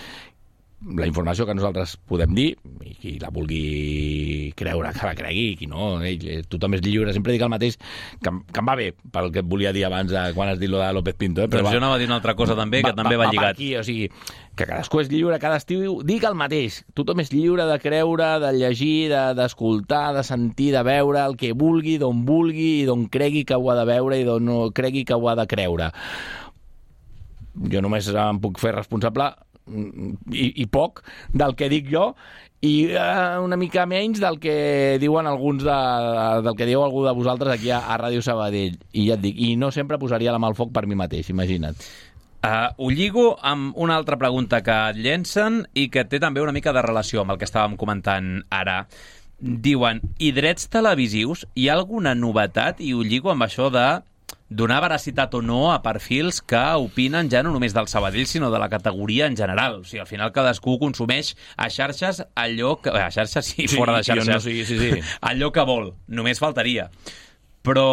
la informació que nosaltres podem dir, i qui la vulgui creure que la cregui, i qui no, ell, tothom és lliure. Sempre dic el mateix, que, que em va bé pel que et volia dir abans de, quan has dit lo de López Pinto. Eh? Però, Però va, jo anava a dir una altra cosa també, que va, també va, va lligat. Aquí, o sigui, que cadascú és lliure, cada estiu dic el mateix. Tothom és lliure de creure, de llegir, d'escoltar, de, de sentir, de veure el que vulgui, d'on vulgui, i d'on cregui que ho ha de veure i d'on no cregui que ho ha de creure. Jo només em puc fer responsable I, i poc del que dic jo i uh, una mica menys del que diuen alguns de, del que diu algú de vosaltres aquí a, a Ràdio Sabadell, i ja et dic, i no sempre posaria la mà al foc per mi mateix, imagina't. Uh, ho lligo amb una altra pregunta que et llencen i que té també una mica de relació amb el que estàvem comentant ara. Diuen, i drets televisius, hi ha alguna novetat? I ho lligo amb això de donar veracitat o no a perfils que opinen ja no només del Sabadell, sinó de la categoria en general. O sigui, al final cadascú consumeix a xarxes allò que... A xarxes sí, sí fora de xarxes. No, sí, sí, sí. Allò que vol. Només faltaria. Però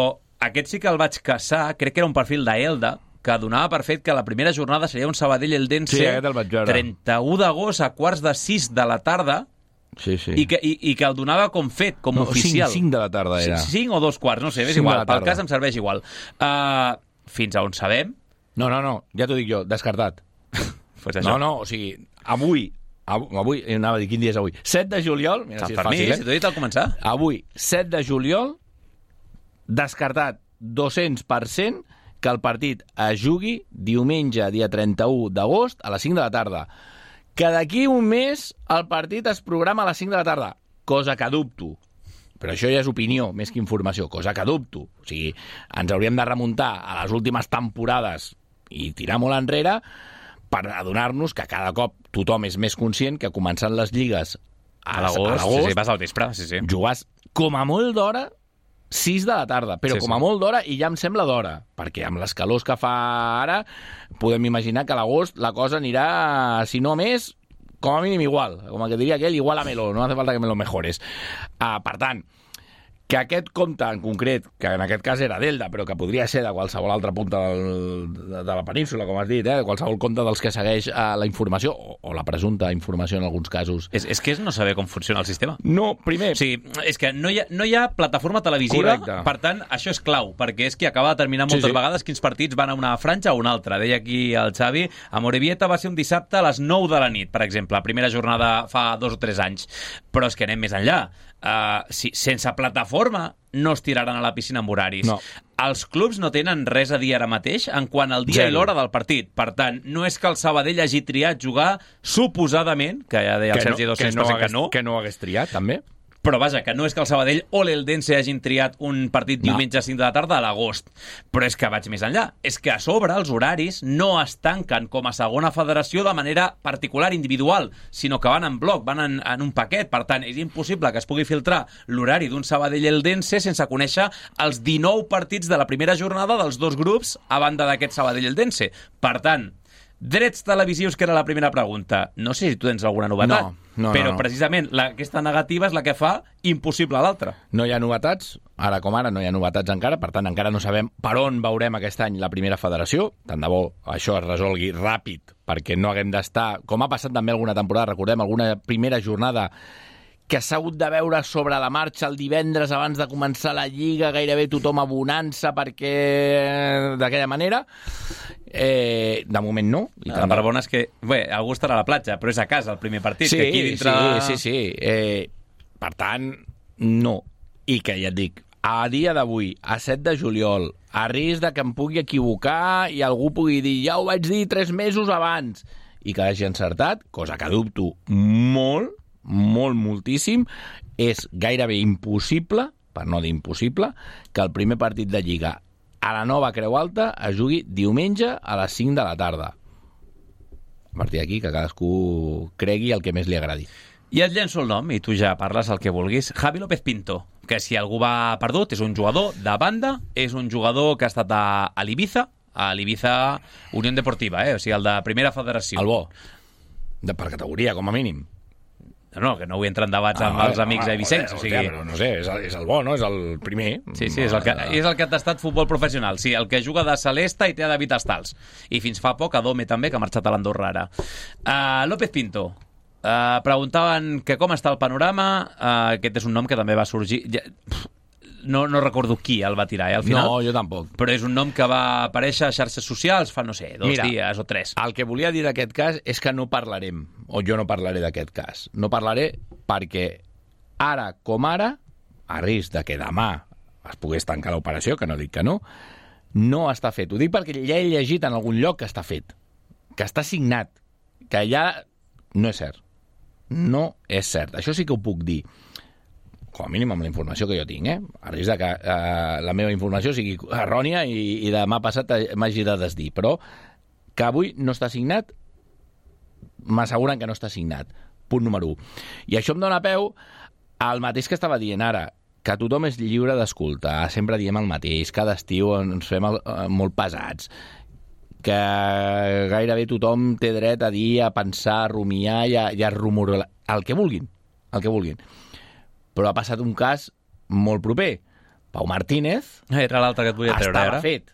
aquest sí que el vaig caçar, crec que era un perfil d'Elda, que donava per fet que la primera jornada seria un Sabadell-Eldense sí, trenta-u d'agost a quarts de sis de la tarda. Sí, sí. I, que, i, i que el donava com fet, com no, oficial. cinc de la tarda era. cinc o dos quarts, no sé, és igual. Pel cas em serveix igual. Uh, fins a on sabem? No, no, no, ja t'ho dic jo, descartat. Pues això. No, no, o sigui, avui, avui, anava a dir, quin dia és avui? set de juliol, mira si és fàcil, eh? Si t'ho he dit al començar. Avui, set de juliol, descartat dos-cents per cent que el partit es jugui diumenge, dia trenta-u d'agost, a les cinc de la tarda. Que d'aquí un mes el partit es programa a les cinc de la tarda, cosa que dubto. Però això ja és opinió, més que informació, cosa que dubto. O sigui, ens hauríem de remuntar a les últimes temporades i tirar molt enrere per adonar-nos que cada cop tothom és més conscient que començant les lligues a, a l'agost, sí, sí, vas al vespre, sí, sí. Jugàs com a molt d'hora sis de la tarda, però sí, com a sí. molt d'hora, i ja em sembla d'hora, perquè amb les calors que fa ara podem imaginar que a l'agost la cosa anirà, si no més, com a mínim igual, com que diria aquell, igual a Melo, no hace falta que me lo mejores. Uh, per tant, que aquest compte en concret, que en aquest cas era d'Elda, però que podria ser de qualsevol altra punta del, de, de la península, com has dit, eh? qualsevol compte dels que segueix eh, la informació, o, o la presumpta informació en alguns casos. És, és que és no saber com funciona el sistema. No, primer... O sigui, és que no hi ha, no hi ha plataforma televisiva, correcte. Per tant, això és clau, perquè és qui acaba de determinar moltes sí, sí. vegades quins partits van a una franja o una altra. Deia aquí el Xavi, a Morevieta va ser un dissabte a les nou de la nit, per exemple, primera jornada fa dos o tres anys. Però és que anem més enllà. Uh, si, sense plataforma no es tiraran a la piscina amb horaris. No. Els clubs no tenen res a dir ara mateix en quant al dia Zero. I l'hora del partit. Per tant, no és que el Sabadell hagi triat jugar suposadament, que ja deia el Sergi dos cents per cent que no, que no hagués triat, també. Però vaja, que no és que el Sabadell o l'Eldense hagin triat un partit diumenge a cinc de la tarda a l'agost. Però és que vaig més enllà. És que a sobre els horaris no es tanquen com a segona federació de manera particular, individual, sinó que van en bloc, van en, en un paquet. Per tant, és impossible que es pugui filtrar l'horari d'un Sabadell-Eldense sense conèixer els dinou partits de la primera jornada dels dos grups a banda d'aquest Sabadell-Eldense. Per tant, drets televisius, que era la primera pregunta. No sé si tu tens alguna novetat, no, no, però no, no. precisament la, aquesta negativa és la que fa impossible l'altra. No hi ha novetats, ara com ara no hi ha novetats encara, per tant encara no sabem per on veurem aquest any la primera federació. Tant de bo això es resolgui ràpid, perquè no haguem d'estar, com ha passat també alguna temporada, recordem, alguna primera jornada que s'ha hagut de veure sobre la marxa el divendres abans de començar la Lliga, gairebé tothom abonant-se perquè d'aquella manera. Eh, de moment no. I la part bona és que, bé, algú estarà a la platja, però és a casa el primer partit. Sí, que aquí dintre... sí, sí, sí. Eh, per tant, no. I que ja et dic, a dia d'avui, a set de juliol, a risc de que em pugui equivocar i algú pugui dir, ja ho vaig dir tres mesos abans, i que hagi encertat, cosa que dubto molt, molt, moltíssim, és gairebé impossible, per no dir impossible, que el primer partit de Lliga a la nova Creu Alta es jugui diumenge a les cinc de la tarda. A partir d'aquí, que cadascú cregui el que més li agradi. I et llenço el nom, i tu ja parles el que vulguis. Javi López Pinto, que si algú va perdut, és un jugador de banda, és un jugador que ha estat a, a l'Ibiza, a l'Ibiza Unió Deportiva, eh? O sigui, el de Primera Federació. El bo, de, per categoria, com a mínim. No, no, que no vull entrar en debats amb ah, els amics ah, eivissencs. O sigui... Però no sé, és el, és el bo, no? És el primer. Sí, sí, és el que, és el que ha tastat futbol professional. Sí, el que juga de Celesta i té a David Estals. I fins fa poc a Dome també, que ha marxat a l'Andorra ara. Uh, López Pinto, Uh, preguntaven que com està el panorama. Uh, aquest és un nom que també va sorgir... Ja, no, no recordo qui el va tirar, eh, al final. No, jo tampoc. Però és un nom que va aparèixer a xarxes socials fa, no sé, dos Mira, dies o tres. El que volia dir d'aquest cas és que no parlarem, o jo no parlaré d'aquest cas. No parlaré perquè ara com ara, a risc de que demà es pogués tancar l'operació, que no dic que no, no està fet. Ho dic perquè ja he llegit en algun lloc que està fet, que està signat, que ja no és cert. No és cert. Això sí que ho puc dir. Com a mínim amb la informació que jo tinc, eh? A risc de que eh, la meva informació sigui errònia i, i demà passat m'hagi de desdir. Però que avui no està signat, m'asseguren que no està signat. Punt número un. I això em dóna peu al mateix que estava dient ara, que tothom és lliure d'escoltar, sempre diem el mateix, cada estiu ens fem el, eh, molt pesats, que gairebé tothom té dret a dir, a pensar, a rumiar i a, i a rumorar, el que vulguin, el que vulguin. Però ha passat un cas molt proper. Pau Martínez... Era l'altre que et volia treure, estava ara. fet.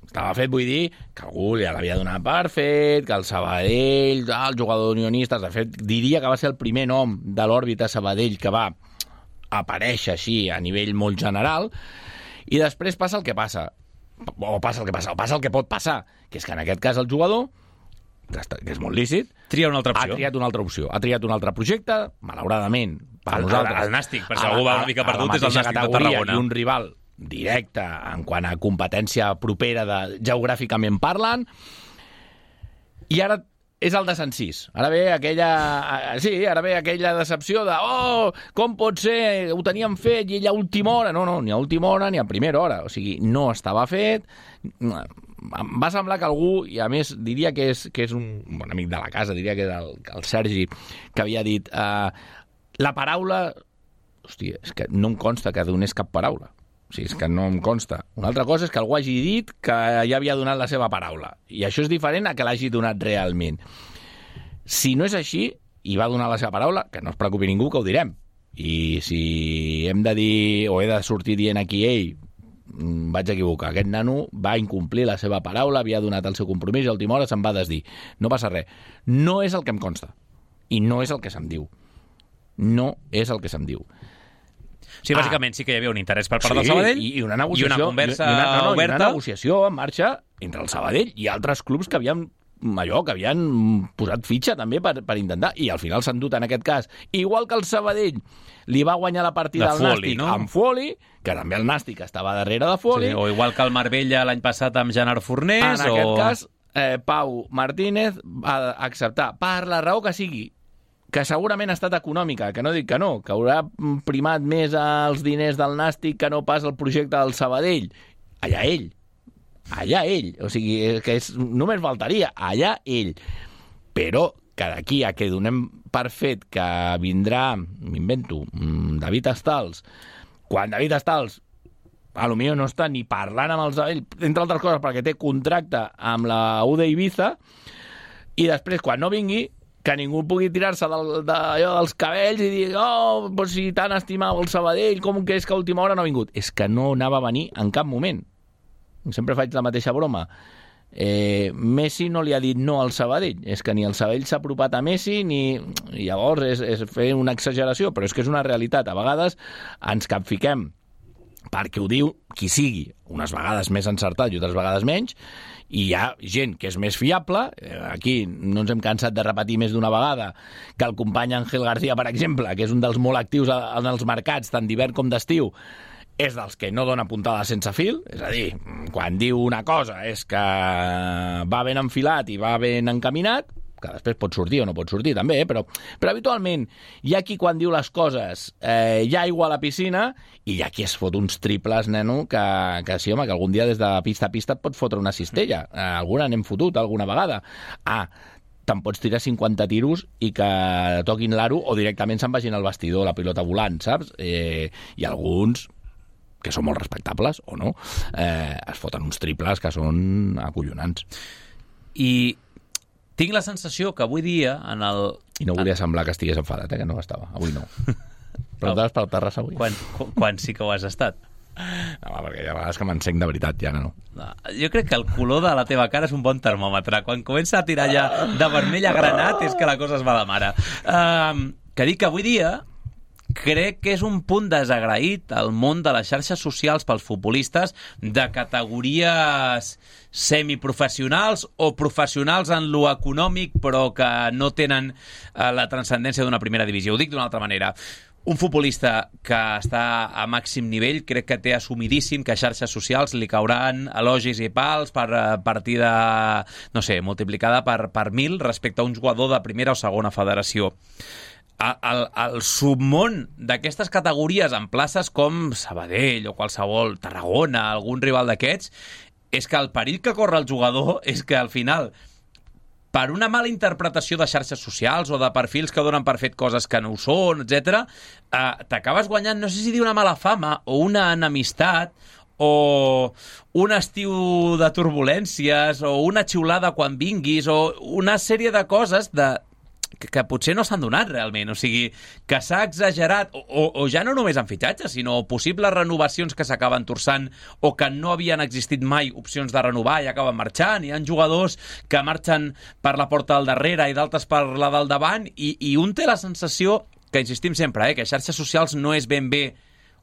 Estava fet, vull dir, que algú ja l'havia donat per fet, que el Sabadell, el jugador d'Unionistes, de fet, diria que va ser el primer nom de l'òrbita Sabadell que va aparèixer així a nivell molt general, i després passa el que passa. O passa el que passa, o passa el que pot passar, que és que en aquest cas el jugador, que, està, que és molt lícit, tria una altra opció. ha triat una altra opció, ha triat un altre projecte, malauradament, per el, nosaltres. El Nàstic, per si algú va una mica perdut, és el Nàstic de Tarragona. I un rival directe en quant a competència propera de, geogràficament parlant, i ara és el desencís. Ara ve aquella... Sí, ara ve aquella decepció de oh, com pot ser? Ho teníem fet i ell a última hora. No, no, ni a última hora ni a primera hora. O sigui, no estava fet. Em va semblar que algú, i a més diria que és, que és un bon amic de la casa, diria que és el, el Sergi, que havia dit uh, la paraula... Hòstia, és que no em consta que donés cap paraula. O sigui, és que no em consta. Una altra cosa és que algú hagi dit que ja havia donat la seva paraula. I això és diferent a que l'hagi donat realment. Si no és així, i va donar la seva paraula, que no es preocupi ningú, que ho direm. I si hem de dir, o he de sortir dient aquí, ei, vaig equivocar, aquest nano va incomplir la seva paraula, havia donat el seu compromís i a última hora se'n va desdir. No passa res. No és el que em consta. I no és el que se'm diu. No és el que se'm diu. Sí, bàsicament sí que hi havia un interès per part sí, del Sabadell i una negociació, i una conversa i una, no, no, oberta. I una negociació en marxa entre el Sabadell i altres clubs que havien allò, que havien posat fitxa també per, per intentar, i al final s'han dut en aquest cas, igual que el Sabadell li va guanyar la partida al Nàstic, no? Amb Foli, que també el Nàstic estava darrere de Foli. Sí, o igual que el Marbella l'any passat amb Gerard Fornés. En o... aquest cas, eh, Pau Martínez va acceptar, per la raó que sigui, que segurament ha estat econòmica, que no dic que no, que haurà primat més els diners del Nàstic que no pas el projecte del Sabadell. Allà ell. Allà ell. O sigui, que és, només faltaria. Allà ell. Però que d'aquí a que donem per fet que vindrà, m'invento, David Estals, quan David Estals a lo millor no està ni parlant amb el Sabadell, entre altres coses perquè té contracte amb la U D Ibiza, i després quan no vingui que ningú pugui tirar-se del, de, allò, dels cabells i dir, oh, doncs si tant estimava el Sabadell, com que és que a última hora no ha vingut? És que no anava a venir en cap moment. Sempre faig la mateixa broma. Eh, Messi no li ha dit no al Sabadell. És que ni el Sabadell s'ha apropat a Messi, ni... I llavors és, és fer una exageració, però és que és una realitat. A vegades ens capfiquem perquè ho diu qui sigui, unes vegades més encertat i altres vegades menys, i hi ha gent que és més fiable. Aquí no ens hem cansat de repetir més d'una vegada que el company Ángel García, per exemple, que és un dels molt actius en els mercats, tant d'hivern com d'estiu, és dels que no dona puntada sense fil, és a dir, quan diu una cosa és que va ben enfilat i va ben encaminat, que després pot sortir o no pot sortir també, eh? però, però habitualment hi ha qui quan diu les coses eh, hi ha aigua a la piscina i hi ha qui es fot uns triples, neno, que, que sí, home, que algun dia des de pista a pista et pot fotre una cistella. Eh, alguna n'hem fotut alguna vegada. Ah, te'n pots tirar cinquanta tiros i que toquin l'aro o directament se'n vagin al vestidor, la pilota volant, saps? Eh, I alguns que són molt respectables, o no, eh, es foten uns triples que són acollonants. I tinc la sensació que avui dia en el... I no volia semblar que estigués enfadat, eh, que no estava. Avui no. Però estaves per Terrassa avui. Quan, quan sí que ho has estat? No, perquè hi ha vegades que m'encenc de veritat, ja no. No, jo crec que el color de la teva cara és un bon termòmetre. Quan comença a tirar ja de vermell a granat és que la cosa es va de mare. Uh, que dic que avui dia crec que és un punt desagraït al món de les xarxes socials pels futbolistes de categories semiprofessionals o professionals en lo econòmic però que no tenen uh, la transcendència d'una primera divisió. Ho dic d'una altra manera. Un futbolista que està a màxim nivell crec que té assumidíssim que a xarxes socials li cauran elogis i pals per partida, no sé, multiplicada per, per mil respecte a un jugador de primera o segona federació. El, el submón d'aquestes categories en places com Sabadell o qualsevol, Tarragona, algun rival d'aquests, és que el perill que corre el jugador és que al final, per una mala interpretació de xarxes socials o de perfils que donen per fet coses que no ho són, etcètera, eh, t'acabes guanyant, no sé si dir una mala fama o una enemistat o un estiu de turbulències o una xiulada quan vinguis o una sèrie de coses de que, que potser no s'han donat realment, o sigui, que s'ha exagerat, o, o, o ja no només en fitxatges, sinó possibles renovacions que s'acaben torçant o que no havien existit mai opcions de renovar i acaben marxant. Hi ha jugadors que marxen per la porta del darrere i d'altres per la del davant, i, i un té la sensació, que insistim sempre, eh, que xarxes socials no és ben bé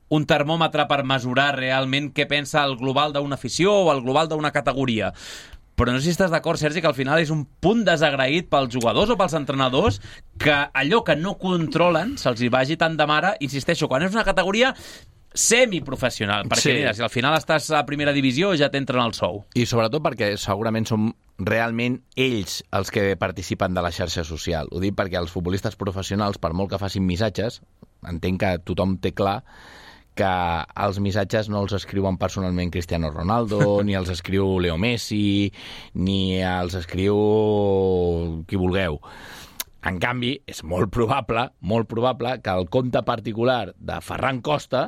un termòmetre per mesurar realment què pensa el global d'una afició o el global d'una categoria. Però no sé si estàs d'acord, Sergi, que al final és un punt desagraït pels jugadors o pels entrenadors que allò que no controlen se'ls hi vagi tant de mare, insisteixo, quan és una categoria semiprofessional, perquè sí. Mira, si al final estàs a primera divisió ja t'entren el sou. I sobretot perquè segurament som realment ells els que participen de la xarxa social. Ho dic perquè els futbolistes professionals, per molt que facin missatges, entenc que tothom té clar que els missatges no els escriuen personalment Cristiano Ronaldo, ni els escriu Leo Messi, ni els escriu qui vulgueu. En canvi, és molt probable, molt probable que el compte particular de Ferran Costa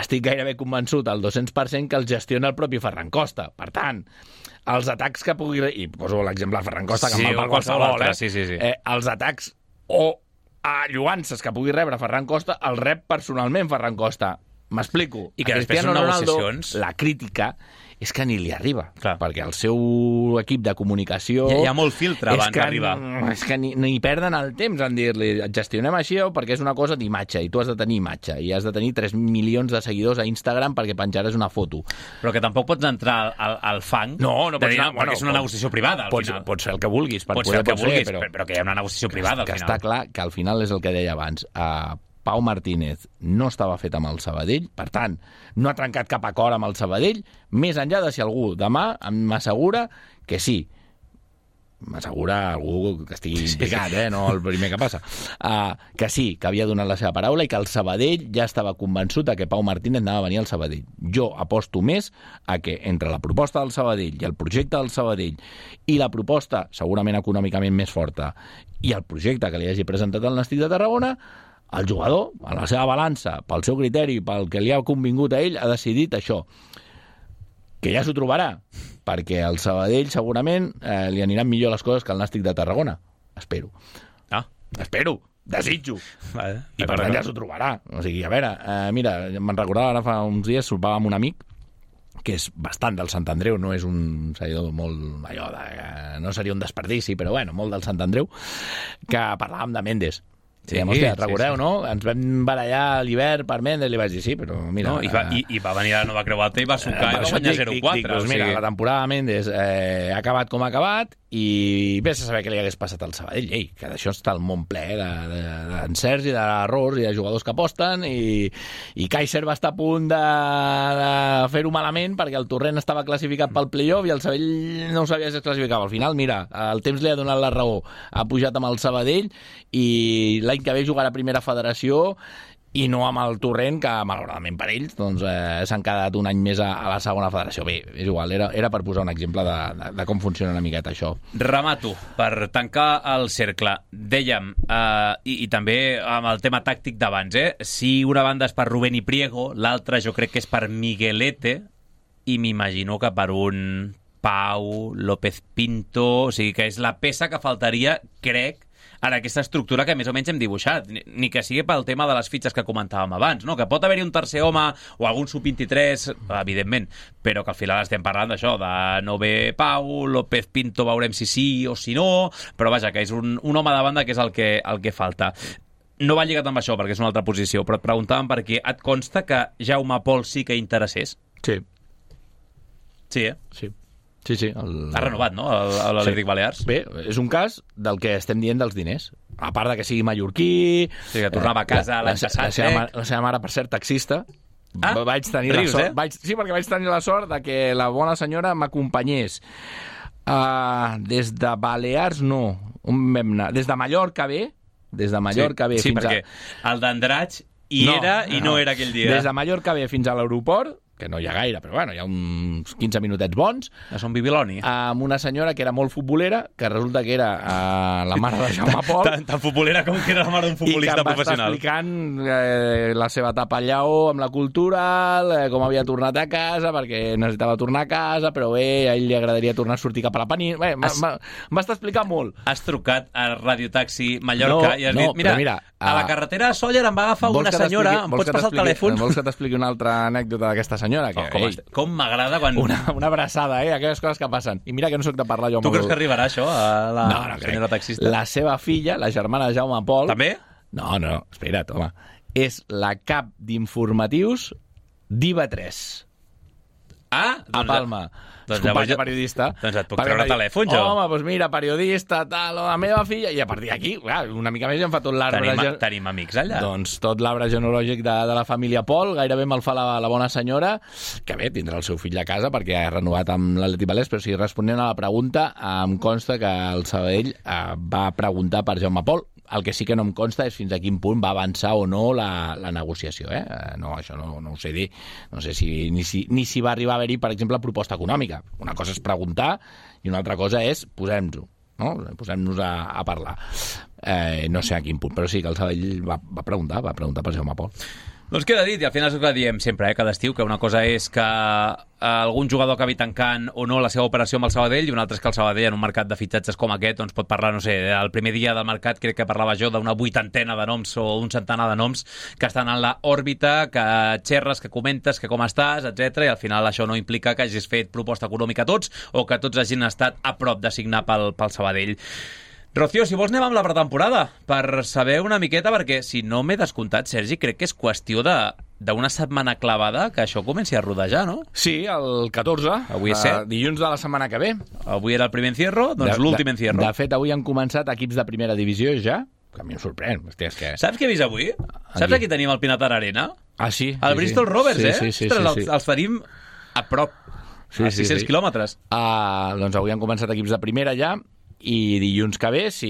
estic gairebé convençut al dos-cents per cent que el gestiona el propi Ferran Costa. Per tant, els atacs que pugui... I poso l'exemple de Ferran Costa, que sí, em va per qualsevol, eh? Sí, sí, sí. eh? Els atacs o a lloances que pugui rebre Ferran Costa, el rep personalment Ferran Costa. M'explico. I que a després són negociacions. La crítica és que ni li arriba. Clar. Perquè el seu equip de comunicació... Hi ha, hi ha molt filtre abans d'arribar. És que ni, ni perden el temps en dir-li gestionem així perquè és una cosa d'imatge i tu has de tenir imatge i has de tenir tres milions de seguidors a Instagram perquè penjaràs una foto. Però que tampoc pots entrar al, al fang no, no pots dir, anar, perquè bueno, és una pots, negociació privada al pots, final. Pots fer el que vulguis. Per pots poder, fer el que pots vulguis, fer, però, però que hi ha una negociació privada que al final. Està clar que al final és el que deia abans. Uh, Pau Martínez no estava fet amb el Sabadell, per tant, no ha trencat cap acord amb el Sabadell, més enllà de si algú demà m'assegura que sí. M'assegura algú que estigui implicat, eh? No el primer que passa. Uh, que sí, que havia donat la seva paraula i que el Sabadell ja estava convençut de que Pau Martínez anava a venir al Sabadell. Jo aposto més a que entre la proposta del Sabadell i el projecte del Sabadell i la proposta, segurament econòmicament més forta, i el projecte que li hagi presentat al Nàstic de Tarragona, el jugador, a la seva balança, pel seu criteri, pel que li ha convingut a ell, ha decidit això. Que ja s'ho trobarà, perquè al Sabadell segurament eh, li aniran millor les coses que al Nàstic de Tarragona. Espero. Ah. Espero. Desitjo. Vale. I per tant ja s'ho trobarà. O sigui, a veure, eh, mira, me'n recordava ara fa uns dies, sopava amb un amic que és bastant del Sant Andreu, no és un seguidor molt allò de... no seria un desperdici, però bueno, molt del Sant Andreu, que parlàvem de Méndez. Sí, diguem, hòstia, recordeu, sí, sí. No? Ens vam barallar a l'hivern per Méndez, li vaig dir sí, però mira... No, i, va, i, I va venir a la Nova Creu Alta i va sucar eh, i va guanyar zero quatre. Doncs mira, o sigui... la temporada de Méndez eh, ha acabat com ha acabat i vés a saber què li hagués passat al Sabadell. Ei, que d'això està el món ple d'encerts i d'errors i de jugadors que aposten i, i Kaiser va estar a punt de, de fer-ho malament perquè el Torrent estava classificat pel playoff i el Sabadell no ho sabia si es classificava. Al final, mira, el temps li ha donat la raó. Ha pujat amb el Sabadell i l'any que ve jugarà a primera federació i no amb el Torrent, que malauradament per ells doncs, eh, s'han quedat un any més a, a la segona federació. Bé, és igual, era, era per posar un exemple de, de, de com funciona una miqueta això. Remato, per tancar el cercle. Dèiem, eh, i, i també amb el tema tàctic d'abans, eh? Si una banda és per Rubén i Priego, l'altra jo crec que és per Miguelete, i m'imagino que per un Pau, López Pinto, o sigui que és la peça que faltaria, crec, en aquesta estructura que més o menys hem dibuixat, ni que sigui pel tema de les fitxes que comentàvem abans, no? Que pot haver-hi un tercer home o algun sub vint-i-tres, evidentment, però que al final estem parlant d'això, de no ve Pau, López Pinto veurem si sí o si no, però vaja, que és un, un home de banda que és el que, el que falta. No va lligat amb això, perquè és una altra posició, però et preguntàvem per què et consta que Jaume Pol sí que interessés? Sí. Sí, eh? Sí. Sí, sí. El... Ha renovat, no?, l'Atlètic sí. Balears. Bé, és un cas del que estem dient dels diners. A part de que sigui mallorquí... Sí, que tornava a casa eh, l'any passat. La seva, mare, la seva mare, per cert, taxista. Ah, vaig tenir rius, la sort, eh? vaig, sí, perquè vaig tenir la sort de que la bona senyora m'acompanyés. Uh, des de Balears, no. On vam anar? Des de Mallorca ve. Des de Mallorca sí, ve sí, fins perquè a... el d'Andratx hi no, era i no, no era aquell dia. Des de Mallorca ve fins a l'aeroport, que no hi ha gaire, però bueno, hi ha uns quinze minutets bons. A Son Bibiloni. Amb una senyora que era molt futbolera, que resulta que era uh, la mare de Jaume Pol. tan, tan futbolera com que era la mare d'un futbolista professional. I que em va estar explicant eh, la seva etapa al Lleó amb la cultural, eh, com havia tornat a casa, perquè necessitava tornar a casa, però bé, a ell li agradaria tornar a sortir cap a la península. Bé, Has... em va estar explicant molt. Has trucat a Radiotaxi Mallorca no, i has no, dit, mira, mira a la carretera de Sóller em va agafar una senyora, em pots passar el telèfon? Vols que t'expliqui una altra anècdota d'aquesta senyora? Que, oh, com, ei, com m'agrada quan... Una, una abraçada, eh? Aquelles coses que passen. I mira que no soc de parlar jo amb... Tu creus que arribarà això a la no, no senyora crec. taxista? La seva filla, la germana de Jaume Pol... També? No, no, espera't, home. És la cap d'informatius d'I V A tres. Ah, doncs a Palma. Doncs companya llavors, periodista. Doncs et puc treure telèfon, jo. Home, doncs mira, periodista, tal, la meva filla... I a partir d'aquí, una mica més ja em fa tot l'arbre... Tenim, gen... tenim amics allà. Doncs tot l'arbre genealògic de, de la família Pol, gairebé me'l fa la, la bona senyora, que bé, tindrà el seu fill a casa perquè ha renovat amb l'Atlètic Balears, però si responent a la pregunta, em consta que el Sabadell eh, va preguntar per Jaume Pol. El que sí que no em consta és fins a quin punt va avançar o no la, la negociació. Eh? No, això no, no ho sé dir. No sé si ni, si ni si va arribar a haver-hi, per exemple, proposta econòmica. Una cosa és preguntar i una altra cosa és posem-nos-ho. No? Posem-nos a, a parlar. Eh, no sé a quin punt, però sí que el Sabadell va, va preguntar, va preguntar per Jaume Pol. Doncs queda dit, i al final és el que diem sempre, eh, cada estiu, que una cosa és que algun jugador acabi tancant o no la seva operació amb el Sabadell, i una altra és que el Sabadell en un mercat de fitxatges com aquest doncs pot parlar, no sé, el primer dia del mercat crec que parlava jo d'una vuitantena de noms o un centenar de noms que estan en la òrbita, que xerres, que comentes, que com estàs, etcètera, i al final això no implica que hagis fet proposta econòmica a tots o que tots hagin estat a prop de signar pel, pel Sabadell. Rocío, si vols anem amb la pretemporada per saber una miqueta, perquè si no m'he descomptat, Sergi, crec que és qüestió de d'una setmana clavada que això comenci a rodejar, no? Sí, el catorze. Avui és set. Uh, dilluns de la setmana que ve. Avui era el primer encierro, doncs l'últim encierro. De fet, avui han començat equips de primera divisió ja, que a mi em sorprèn. Hòstia, és que... Saps què he vist avui? Aquí. Saps aquí tenim el Pinatar Arena? Ah, sí? El sí, Bristol sí. Rovers, sí, eh? Sí, sí, Ostres, sí, els, sí. els tenim a prop, sí, a sis-cents sí, sí. quilòmetres. Uh, doncs avui han començat equips de primera ja, i dilluns que ve, si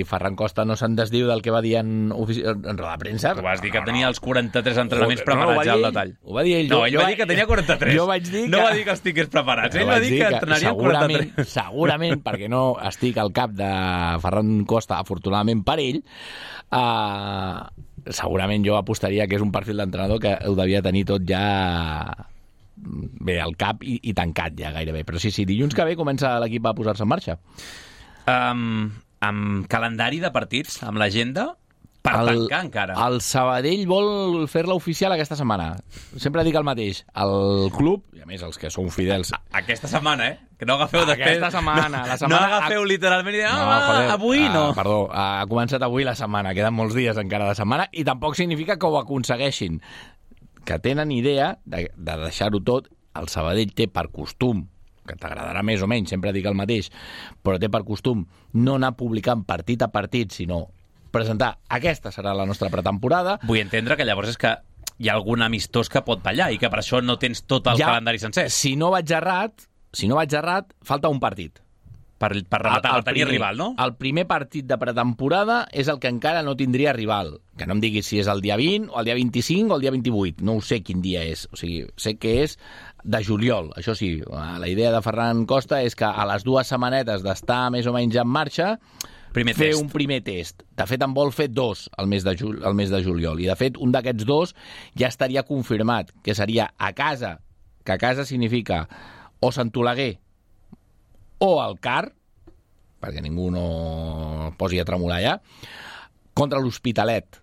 Ferran Costa no se'n desdiu del que va dir en, ofici... en roda de premsa... Tu vas dir que no, tenia no. els quaranta-tres entrenaments no, preparats no, ja al detall. Ho va dir ell. No, ell jo va dir que tenia quaranta-tres. Jo vaig dir que... No va dir que els tingués preparats. Ell va dir que entrenaria segurament, quaranta-tres. Segurament, perquè no estic al cap de Ferran Costa, afortunadament per ell, uh, segurament jo apostaria que és un perfil d'entrenador que ho devia tenir tot ja... bé, al cap i, i tancat ja gairebé. Però sí, sí, dilluns que ve comença l'equip a posar-se en marxa. Um, amb calendari de partits, amb l'agenda, per el, tancar encara. El Sabadell vol fer-la oficial aquesta setmana. Sempre dic el mateix. El club, i a més els que són fidels... A, aquesta setmana, eh? Que no agafeu aquesta després... Aquesta setmana. No, la setmana no agafeu ha... literalment i dir, ah, no, joder, avui no. Uh, perdó, uh, ha començat avui la setmana. Queden molts dies encara de setmana i tampoc significa que ho aconsegueixin. Que tenen idea de, de deixar-ho tot. El Sabadell té per costum, que t'agradarà més o menys, sempre dic el mateix, però té per costum no anar publicant partit a partit, sinó presentar aquesta serà la nostra pretemporada. Vull entendre que llavors és que hi ha algun amistós que pot ballar i que per això no tens tot el ja, calendari sencer. Si no vaig errat, si no vaig errat, falta un partit. Per, per rematar, el, el tenir primer, rival, no? El primer partit de pretemporada és el que encara no tindria rival. Que no em diguis si és el dia vint, o el dia vint-i-cinc, o el dia vint-i-vuit. No ho sé quin dia és. O sigui, sé que és de juliol. Això sí, la idea de Ferran Costa és que a les dues setmanetes d'estar més o menys en marxa, primer fer test. un primer test. De fet, en vol fer dos al mes de, jul, al mes de juliol. I, de fet, un d'aquests dos ja estaria confirmat, que seria a casa, que a casa significa o Sant Oleguer o el Car, perquè ningú no no posi a tremolar ja. Contra l'Hospitalet,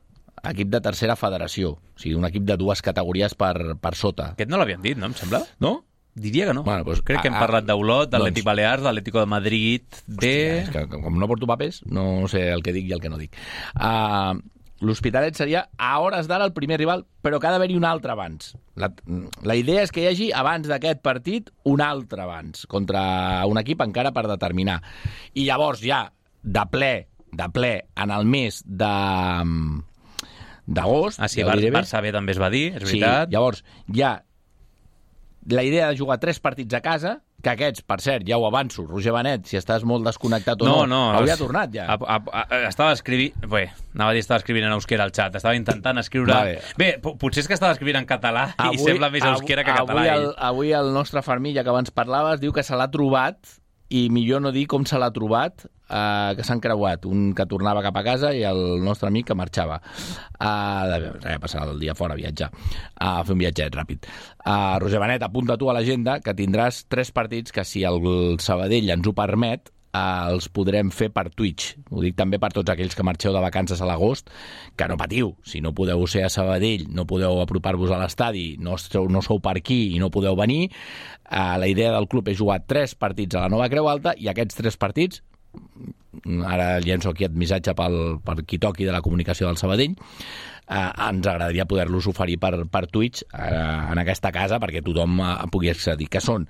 equip de tercera federació. O sigui, un equip de dues categories per, per sota. Aquest no l'havien dit, no? Em sembla? No? Diria que no. Bueno, doncs, Crec que hem a, parlat d'Olot, d'Atlètic doncs, Balears, d'Atlético de Madrid, de... Hòstia, és que com no porto papers, no sé el que dic i el que no dic. Uh, L'Hospitalet seria a hores d'ara el primer rival, però que ha d'haver-hi un altre abans. La, la idea és que hi hagi abans d'aquest partit un altre abans, contra un equip encara per determinar. I llavors ja, de ple, de ple, en el mes de... d'agost... Ah, sí, ja Bar diré bé. Barça B també es va dir, és veritat. Sí, llavors ja la idea de jugar tres partits a casa, que aquests, per cert, ja ho avanço, Roger Benet, si estàs molt desconnectat o no, no, no hauria tornat ja. A, a, a, estava escrivint... Bé, anava a dir estava escrivint en euskera al xat, estava intentant escriure... Vale. Bé, potser és que estava escrivint en català avui, i sembla més euskera que català. Avui el, avui el nostre Fermilla, que abans parlaves, diu que se l'ha trobat, i millor no dir com se l'ha trobat, eh, que s'han creuat, un que tornava cap a casa i el nostre amic que marxava uh, de, de passar el dia fora a viatjar, a fer un viatget ràpid. uh, Roger Benet, apunta tu a l'agenda que tindràs tres partits que, si el Sabadell ens ho permet, Uh, els podrem fer per Twitch. Ho dic també per tots aquells que marxeu de vacances a l'agost, que no patiu, si no podeu ser a Sabadell, no podeu apropar-vos a l'estadi, no sou, no sou per aquí i no podeu venir, uh, la idea del club és jugar tres partits a la Nova Creu Alta, i aquests tres partits, ara llenço aquí el missatge pel, per qui toqui de la comunicació del Sabadell, uh, ens agradaria poder-los oferir per, per Twitch uh, en aquesta casa perquè tothom uh, pugui accedir, que són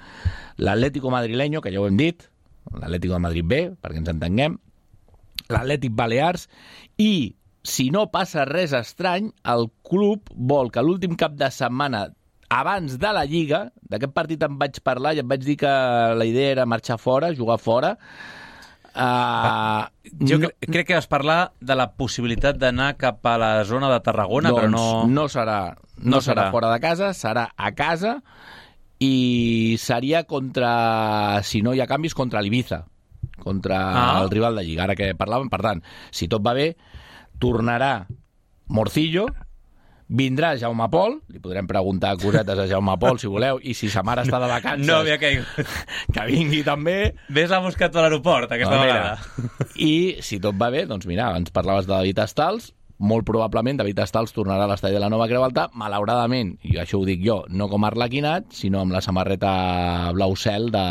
l'Atlético Madrileño, que ja ho hem dit, l'Atlético de Madrid B, perquè ens entenguem, l'Atlètic Balears, i, si no passa res estrany, el club vol que l'últim cap de setmana abans de la Lliga, d'aquest partit em vaig parlar i em vaig dir que la idea era marxar fora, jugar fora. Uh, ah, jo no, cre crec que vas parlar de la possibilitat d'anar cap a la zona de Tarragona, doncs però no... no serà, no, no serà fora de casa, serà a casa, i seria contra, si no hi ha canvis, contra l'Ibiza, contra ah. el rival de Lliga, ara que parlàvem. Per tant, si tot va bé, tornarà Morcillo, vindrà Jaume Pol, li podrem preguntar cosetes a Jaume Pol, si voleu, i si sa mare està de vacances, no havia caigut, que vingui també. Ves-la a buscar a l'aeroport, aquesta no, vegada. I si tot va bé, doncs mira, ens parlaves de David Estals, molt probablement David Estals tornarà a l'estadi de la Nova Creu Alta, malauradament, i això ho dic jo, no com Arlequinat, sinó amb la samarreta blau cel de,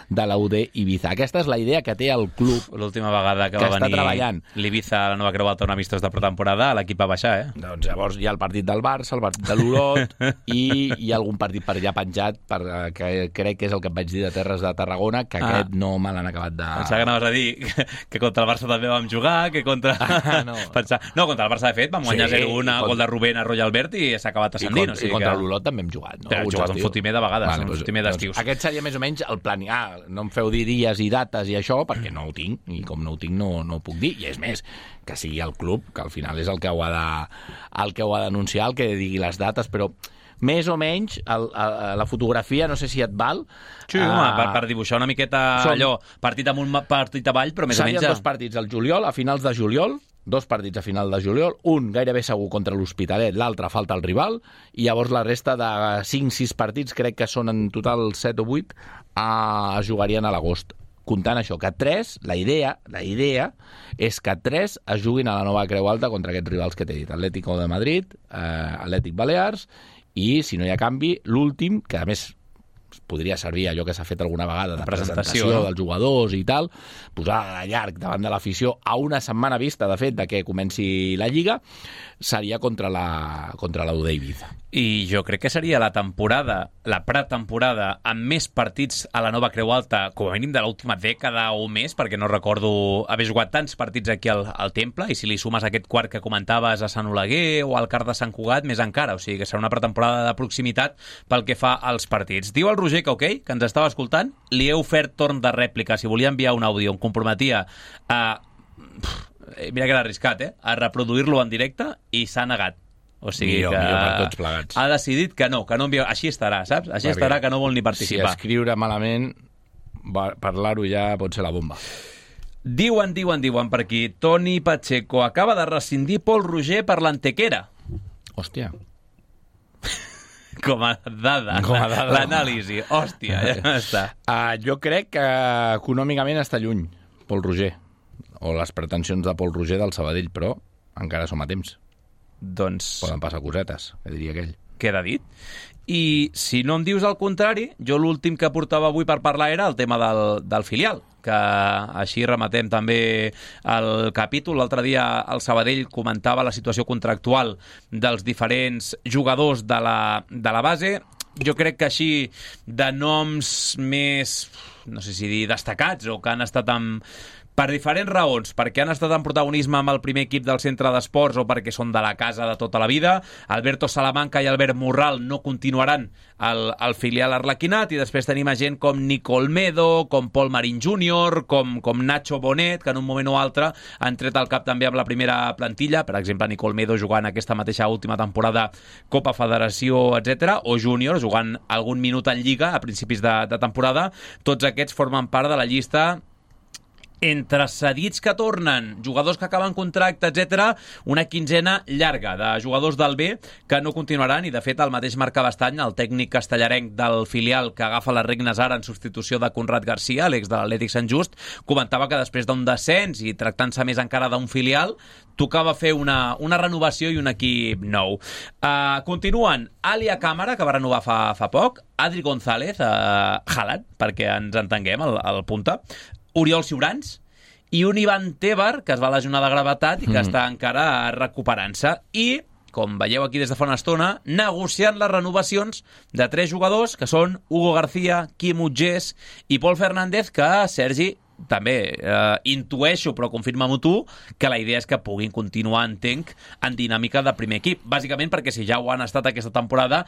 de la U D Ibiza. Aquesta és la idea que té el club. L'última vegada que, que va venir l'Ibiza a la Nova Creu Alta, un amistós de pretemporada, l'equip va baixar, eh? Doncs llavors hi ha el partit del Barça, el partit de l'Olot, i hi ha algun partit per allà penjat, per, que crec que és el que et vaig dir de Terres de Tarragona, que ah. aquest no me l'han acabat de... Pensava que anaves a dir que, que contra el Barça també vam jugar, que contra... Ah, no. Pensava... no, contra el Barça, de fet, vam guanyar sí, zero a un, contra... gol de Rubén a Royal Albert i s'ha acabat ascendint. I, o sigui i contra que... l'Olot també hem jugat, no? Però hem jugat un fotimer de vegades, vale, un doncs, fotimer d'estius. Doncs aquest seria més o menys el plan. Ah, no em feu dir dies i dates i això, perquè no ho tinc, i com no ho tinc no, no ho puc dir. I és més, que sigui el club, que al final és el que ho ha de, el que ho ha d'anunciar, el que digui les dates, però més o menys el, el, la fotografia, no sé si et val. Sí, uh, home, per, per dibuixar una miqueta som, allò, partit amunt, partit avall, però més o menys... Serien dos partits al juliol, a finals de juliol, dos partits a final de juliol, un gairebé segur contra l'Hospitalet, l'altre falta el rival, i llavors la resta de cinc sis partits, crec que són en total set o vuit, eh, es jugarien a l'agost. Comptant això, que tres, la idea, la idea és que tres es juguin a la Nova Creu Alta contra aquests rivals que t'he dit, Atlético de Madrid, eh, Atlètic Balears, i, si no hi ha canvi, l'últim, que a més podria servir allò que s'ha fet alguna vegada de presentació, presentació no? dels jugadors i tal, posar a llarg davant de l'afició a una setmana vista, de fet, de que comenci la Lliga, seria contra la, contra la U D Ibiza. I jo crec que seria la temporada, la pretemporada, amb més partits a la Nova Creu Alta, com a mínim de l'última dècada o més, perquè no recordo haver jugat tants partits aquí al, al Temple, i si li sumes aquest quart que comentaves a Sant Oleguer o al Car de Sant Cugat, més encara. O sigui que serà una pretemporada de proximitat pel que fa als partits. Diu el Roger que ok, que ens estava escoltant, li he ofert torn de rèplica. Si volia enviar un àudio, em comprometia a... Mira que era arriscat, eh? A reproduir-lo en directe, i s'ha negat. O sigui millor, que millor per tots plegats. Ha decidit que no, que no envia... Així estarà, saps? Així Perquè estarà, que no vol ni participar. Si escriure malament, parlar-ho ja pot ser la bomba. Diuen, diuen, diuen per aquí, Toni Pacheco acaba de rescindir Pol Roger per l'Antequera. Hòstia. Com a dada, Com a dada. L'anàlisi. Hòstia, ja està. Uh, jo crec que econòmicament està lluny, Pol Roger. o les pretensions de Pol Roger del Sabadell, però encara som a temps. Doncs... Poden passar cosetes, que diria aquell. Queda dit. I si no em dius el contrari, jo l'últim que portava avui per parlar era el tema del, del filial, que així rematem també el capítol. L'altre dia el Sabadell comentava la situació contractual dels diferents jugadors de la, de la base. Jo crec que així de noms més, no sé si dir destacats, o que han estat amb... per diferents raons, perquè han estat en protagonisme amb el primer equip del centre d'esports o perquè són de la casa de tota la vida. Alberto Salamanca i Albert Morral no continuaran al, al filial arlequinat, i després tenim a gent com Nico Olmedo, com Paul Marín júnior, com, com Nacho Bonet, que en un moment o altre han tret al cap també amb la primera plantilla, per exemple Nico Olmedo jugant aquesta mateixa última temporada Copa Federació, etcètera, o júnior jugant algun minut en Lliga a principis de, de temporada. Tots aquests formen part de la llista entre cedits que tornen, jugadors que acaben contracte, etcètera, una quinzena llarga de jugadors del B que no continuaran, i de fet el mateix Marc Cabestany, el tècnic castellarenc del filial que agafa les regnes ara en substitució de Conrad Garcia, l'ex de l'Atlètic Sant Just, comentava que després d'un descens i tractant-se més encara d'un filial, tocava fer una, una renovació i un equip nou. Uh, continuen Alia Càmara, que va renovar fa, fa poc, Adri González, uh, Haaland, perquè ens entenguem, el, el punta, Oriol Siurans i un Ivan Tebar, que es va lesionar de gravetat i que mm. està encara recuperant-se. I, com veieu aquí des de fa una estona, negociant les renovacions de tres jugadors, que són Hugo García, Quim Utgés i Pol Fernández, que, Sergi, també eh, intueixo, però confirma-m'ho tu, que la idea és que puguin continuar, entenc, en dinàmica de primer equip. Bàsicament perquè si ja ho han estat aquesta temporada,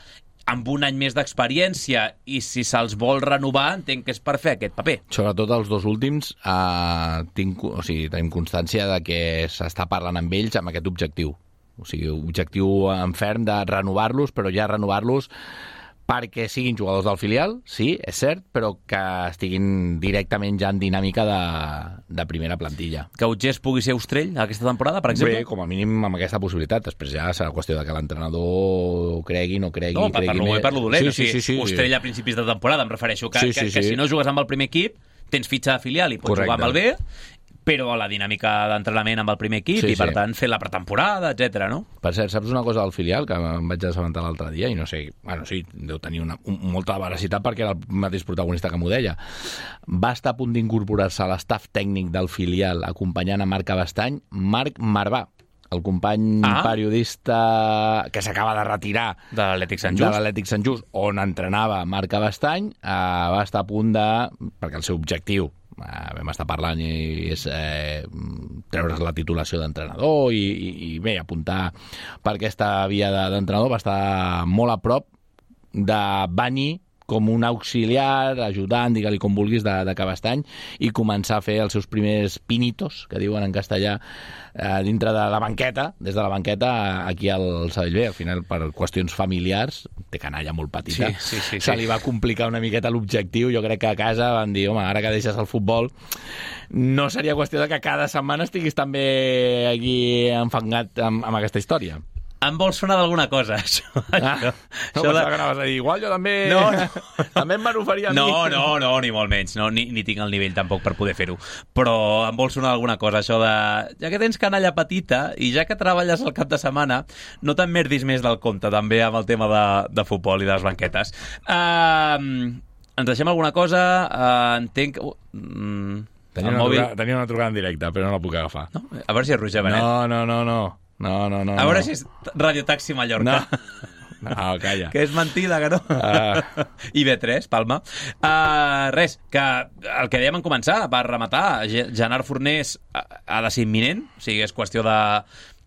amb un any més d'experiència, i si se'ls vol renovar, entenc que és per fer aquest paper. Sobretot els dos últims, eh, tinc, o sigui, tenim constància de que s'està parlant amb ells amb aquest objectiu. O sigui, objectiu en ferm de renovar-los, però ja renovar-los perquè siguin jugadors del filial, sí, és cert, però que estiguin directament ja en dinàmica de, de primera plantilla. Que Utgés pugui ser Ostrell aquesta temporada, per exemple? Bé, com a mínim amb aquesta possibilitat. Després ja serà qüestió de que l'entrenador cregui, no cregui... No, cregui parlo bé, parlo dolent. Sí, sí, sí, sí, Ostrell sí. a principis de temporada, em refereixo, que, sí, sí, que, que sí. si no jugues amb el primer equip, tens fitxa de filial i pots Correcte. jugar amb el B, però a la dinàmica d'entrenament amb el primer equip, sí, i per sí. tant fer la pretemporada, etcètera, no? Per cert, saps una cosa del filial que em vaig assabentar l'altre dia i no sé, bueno, sí, deu tenir una, un, molta veracitat perquè era el mateix protagonista que m'ho deia. Va estar a punt d'incorporar-se a l'estaf tècnic del filial acompanyant a Marc Cabestany, Marc Marvà, el company ah. periodista que s'acaba de retirar de l'Atlètic Sant Just, de l'Atlètic Sant Just, on entrenava Marc Cabestany, eh, va estar a punt de... perquè el seu objectiu, eh, vam estar parlant, i és eh, treure's la titulació d'entrenador i, i, i bé, apuntar per aquesta via de, d'entrenador, va estar molt a prop de venir com un auxiliar, ajudant, digue-li com vulguis, de, de Cabestany, i començar a fer els seus primers pinitos, que diuen en castellà, eh, dintre de la banqueta, des de la banqueta aquí al Sabadell B. Al final, per qüestions familiars, té canalla molt petita, sí, sí, sí, se sí. li va complicar una miqueta l'objectiu. Jo crec que a casa van dir, home, ara que deixes el futbol, no seria qüestió de que cada setmana estiguis també aquí enfangat amb, amb aquesta història. Em vols sonar d'alguna cosa, això? Ah, no, això pensava de... que anaves a dir, igual jo també... No, no. també em van oferir a mi. No, no, no, ni molt menys. No, ni, ni tinc el nivell tampoc per poder fer-ho. Però em vol sonar alguna cosa, això de... Ja que tens canalla petita i ja que treballes al cap de setmana, no te'n merdis més del compte, també, amb el tema de, de futbol i de les banquetes. Uh, ens deixem alguna cosa? Uh, entenc... Uh, mm, tenia, una mòbil... trucada, tenia una trucada en directe, però no la puc agafar. No? A veure si és Roger Benet. No, no, no, no. No, no, no. A veure no. si és Radio Taxi Mallorca. No. No, calla. Que és mentida, que no? Uh. I B tres, Palma. Uh, res, que el que dèiem en començar, per rematar, Gerard Fornés ha de ser imminent, o sigui, és qüestió de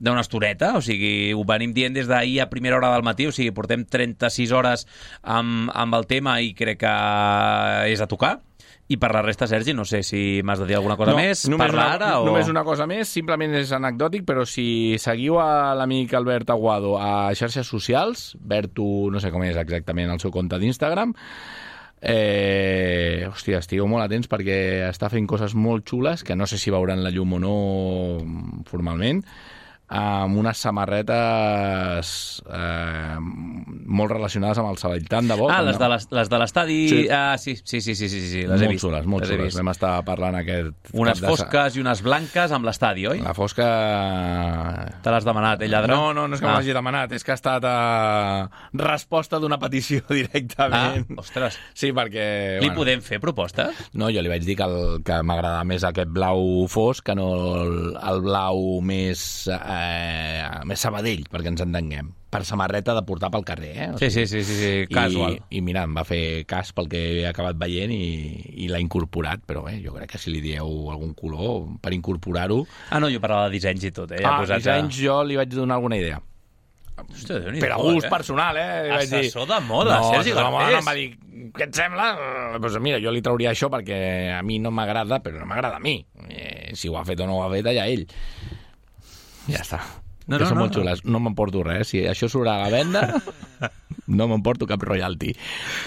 d'una estoneta, o sigui, ho venim dient des d'ahir a primera hora del matí, o sigui, portem trenta-sis hores amb, amb el tema i crec que és a tocar. I per la resta, Sergi, no sé si m'has de dir alguna cosa no, més. Només Parla una, ara o... Només una cosa més, simplement és anecdòtic, però si seguiu a l'amic Albert Aguado a xarxes socials, Berto, no sé com és exactament el seu compte d'Instagram, eh, hòstia, estigueu molt atents perquè està fent coses molt xules, que no sé si veuran la llum o no formalment, amb unes samarretes eh, molt relacionades amb el Sabadell. Tant de bo. Ah, les no? de les, les de l'estadi... Sí. Ah, sí, sí, sí, sí, sí, sí, les he Molt vist. xules, molt les he xules. vist. Vam estar parlant aquest... Unes cap de sa- fosques i unes blanques amb l'estadi, oi? La fosca... Te l'has demanat, eh, lladre? No, no, no és que ah. me l'hagi demanat, és que ha estat eh, resposta d'una petició directament. Ah, ostres. Sí, perquè... Li podem fer propostes? No, jo li vaig dir que, el, que m'agradava més aquest blau fosc que no el, el blau més, eh, més Sabadell, perquè ens entenguem. Per samarreta de portar pel carrer, eh? O Sí, sí, sí, sí, sí, casual. I, I mira, em va fer cas pel que he acabat veient i, i l'ha incorporat, però bé, jo crec que si li dieu algun color per incorporar-ho... Ah, no, jo parlava de dissenys i tot, eh? Ja ah, posat dissenys a... jo li vaig donar alguna idea. Hòstia, Per a gust eh? personal, eh? Li vaig dir... Assessor de moda, no, Sergi assessor de moda, Garcés. em va dir, què et sembla? Eh, Pues mira, jo li trauria això perquè a mi no m'agrada, però no m'agrada a mi. Eh, si ho ha fet o no ho ha fet, allà ell. Ja està. No, que no, són no, molt no. xules. No m'emporto res. Si això surt a la venda, no m'emporto cap royalty.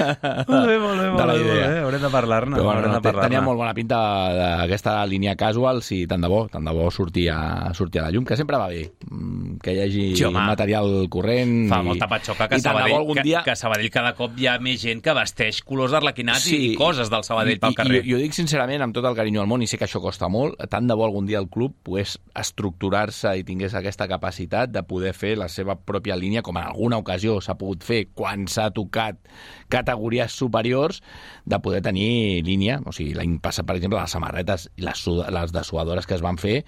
Molt bé, molt bé, molt bé, molt bé. Haurem de parlar-ne. Però bueno, haurem no, de parlar-ne. tenia molt bona pinta d'aquesta línia casual, si tant de bo, tant de bo sortia, sortia a la llum, que sempre va bé mm, que hi hagi Sí, home. material corrent. Fa i, molta patxoca que i tant de bo Sabadell, algun que, dia... que a Sabadell cada cop hi ha més gent que vesteix colors d'arlequinats Sí. i coses del Sabadell pel carrer. I, i, jo dic sincerament, amb tot el carinyo al món, i sé que això costa molt, tant de bo algun dia el club pogués estructurar-se i tingués aquesta capacitat de poder fer la seva pròpia línia, com en alguna ocasió s'ha pogut fer quan s'ha tocat categories superiors, de poder tenir línia. O sigui, l'any passat, per exemple, les samarretes i les, suda, les dessuadores que es van fer,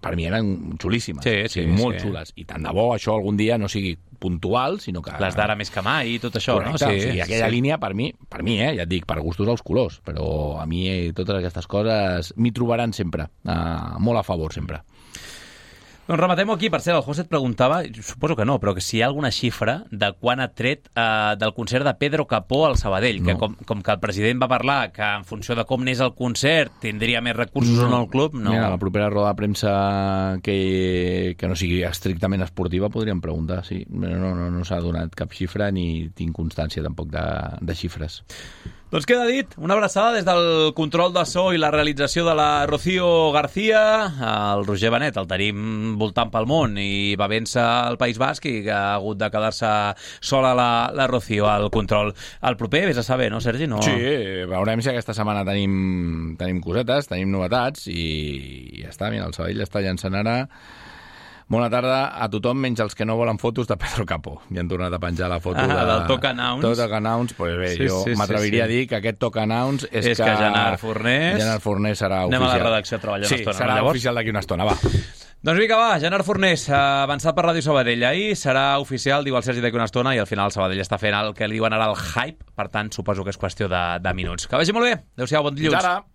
per mi eren xulíssimes. Sí, sí, molt sí. xules. I tant de bo això algun dia no sigui puntual, sinó que... Les d'ara més que mai i tot això, Correcte, no? sí, o sigui, aquella sí. línia, per mi, per mi, eh, ja et dic, per gustos els colors, però a mi eh, totes aquestes coses m'hi trobaran sempre, eh, molt a favor sempre. Doncs rematem-ho aquí. Per cert, el José et preguntava, suposo que no, però que si hi ha alguna xifra de quan ha tret eh, del concert de Pedro Capó al Sabadell, no. que com, com que el president va parlar que en funció de com n'és el concert tindria més recursos no. o no el club, no. Mira, la propera roda de premsa que, que no sigui estrictament esportiva podríem preguntar, sí. No, no, no, no s'ha donat cap xifra ni tinc constància tampoc de, de xifres. Doncs queda dit, una abraçada des del control de so i la realització de la Rocío García. El Roger Benet el tenim voltant pel món i va vèncer al País Basc i que ha hagut de quedar-se sola la, la Rocío al control. El proper, vés a saber, no, Sergi? No... Sí, veurem si aquesta setmana tenim, tenim cosetes, tenim novetats i ja està, mira, el Sabadell està llançant ara. Bona tarda a tothom, menys els que no volen fotos de Pedro Capó. Ja han tornat a penjar la foto ah, de... del Talk Announce. Talk Announce, pues bé, sí, jo sí, m'atreviria sí, sí. a dir que aquest Talk Announce és, és que... que Gerard Fornés... Gerard Fornés serà Anem oficial. Anem a la redacció a treballar sí, una estona. serà no, oficial d'aquí una estona, va. Doncs vinga, va, Gerard Fornés, avançat per Ràdio Sabadell. Ahir serà oficial, diu el Sergi d'aquí una estona, i al final el Sabadell està fent el que li diuen ara el hype, per tant, suposo que és qüestió de, de minuts. Que vagi molt bé. Adéu-siau, bon dilluns. Fins ara.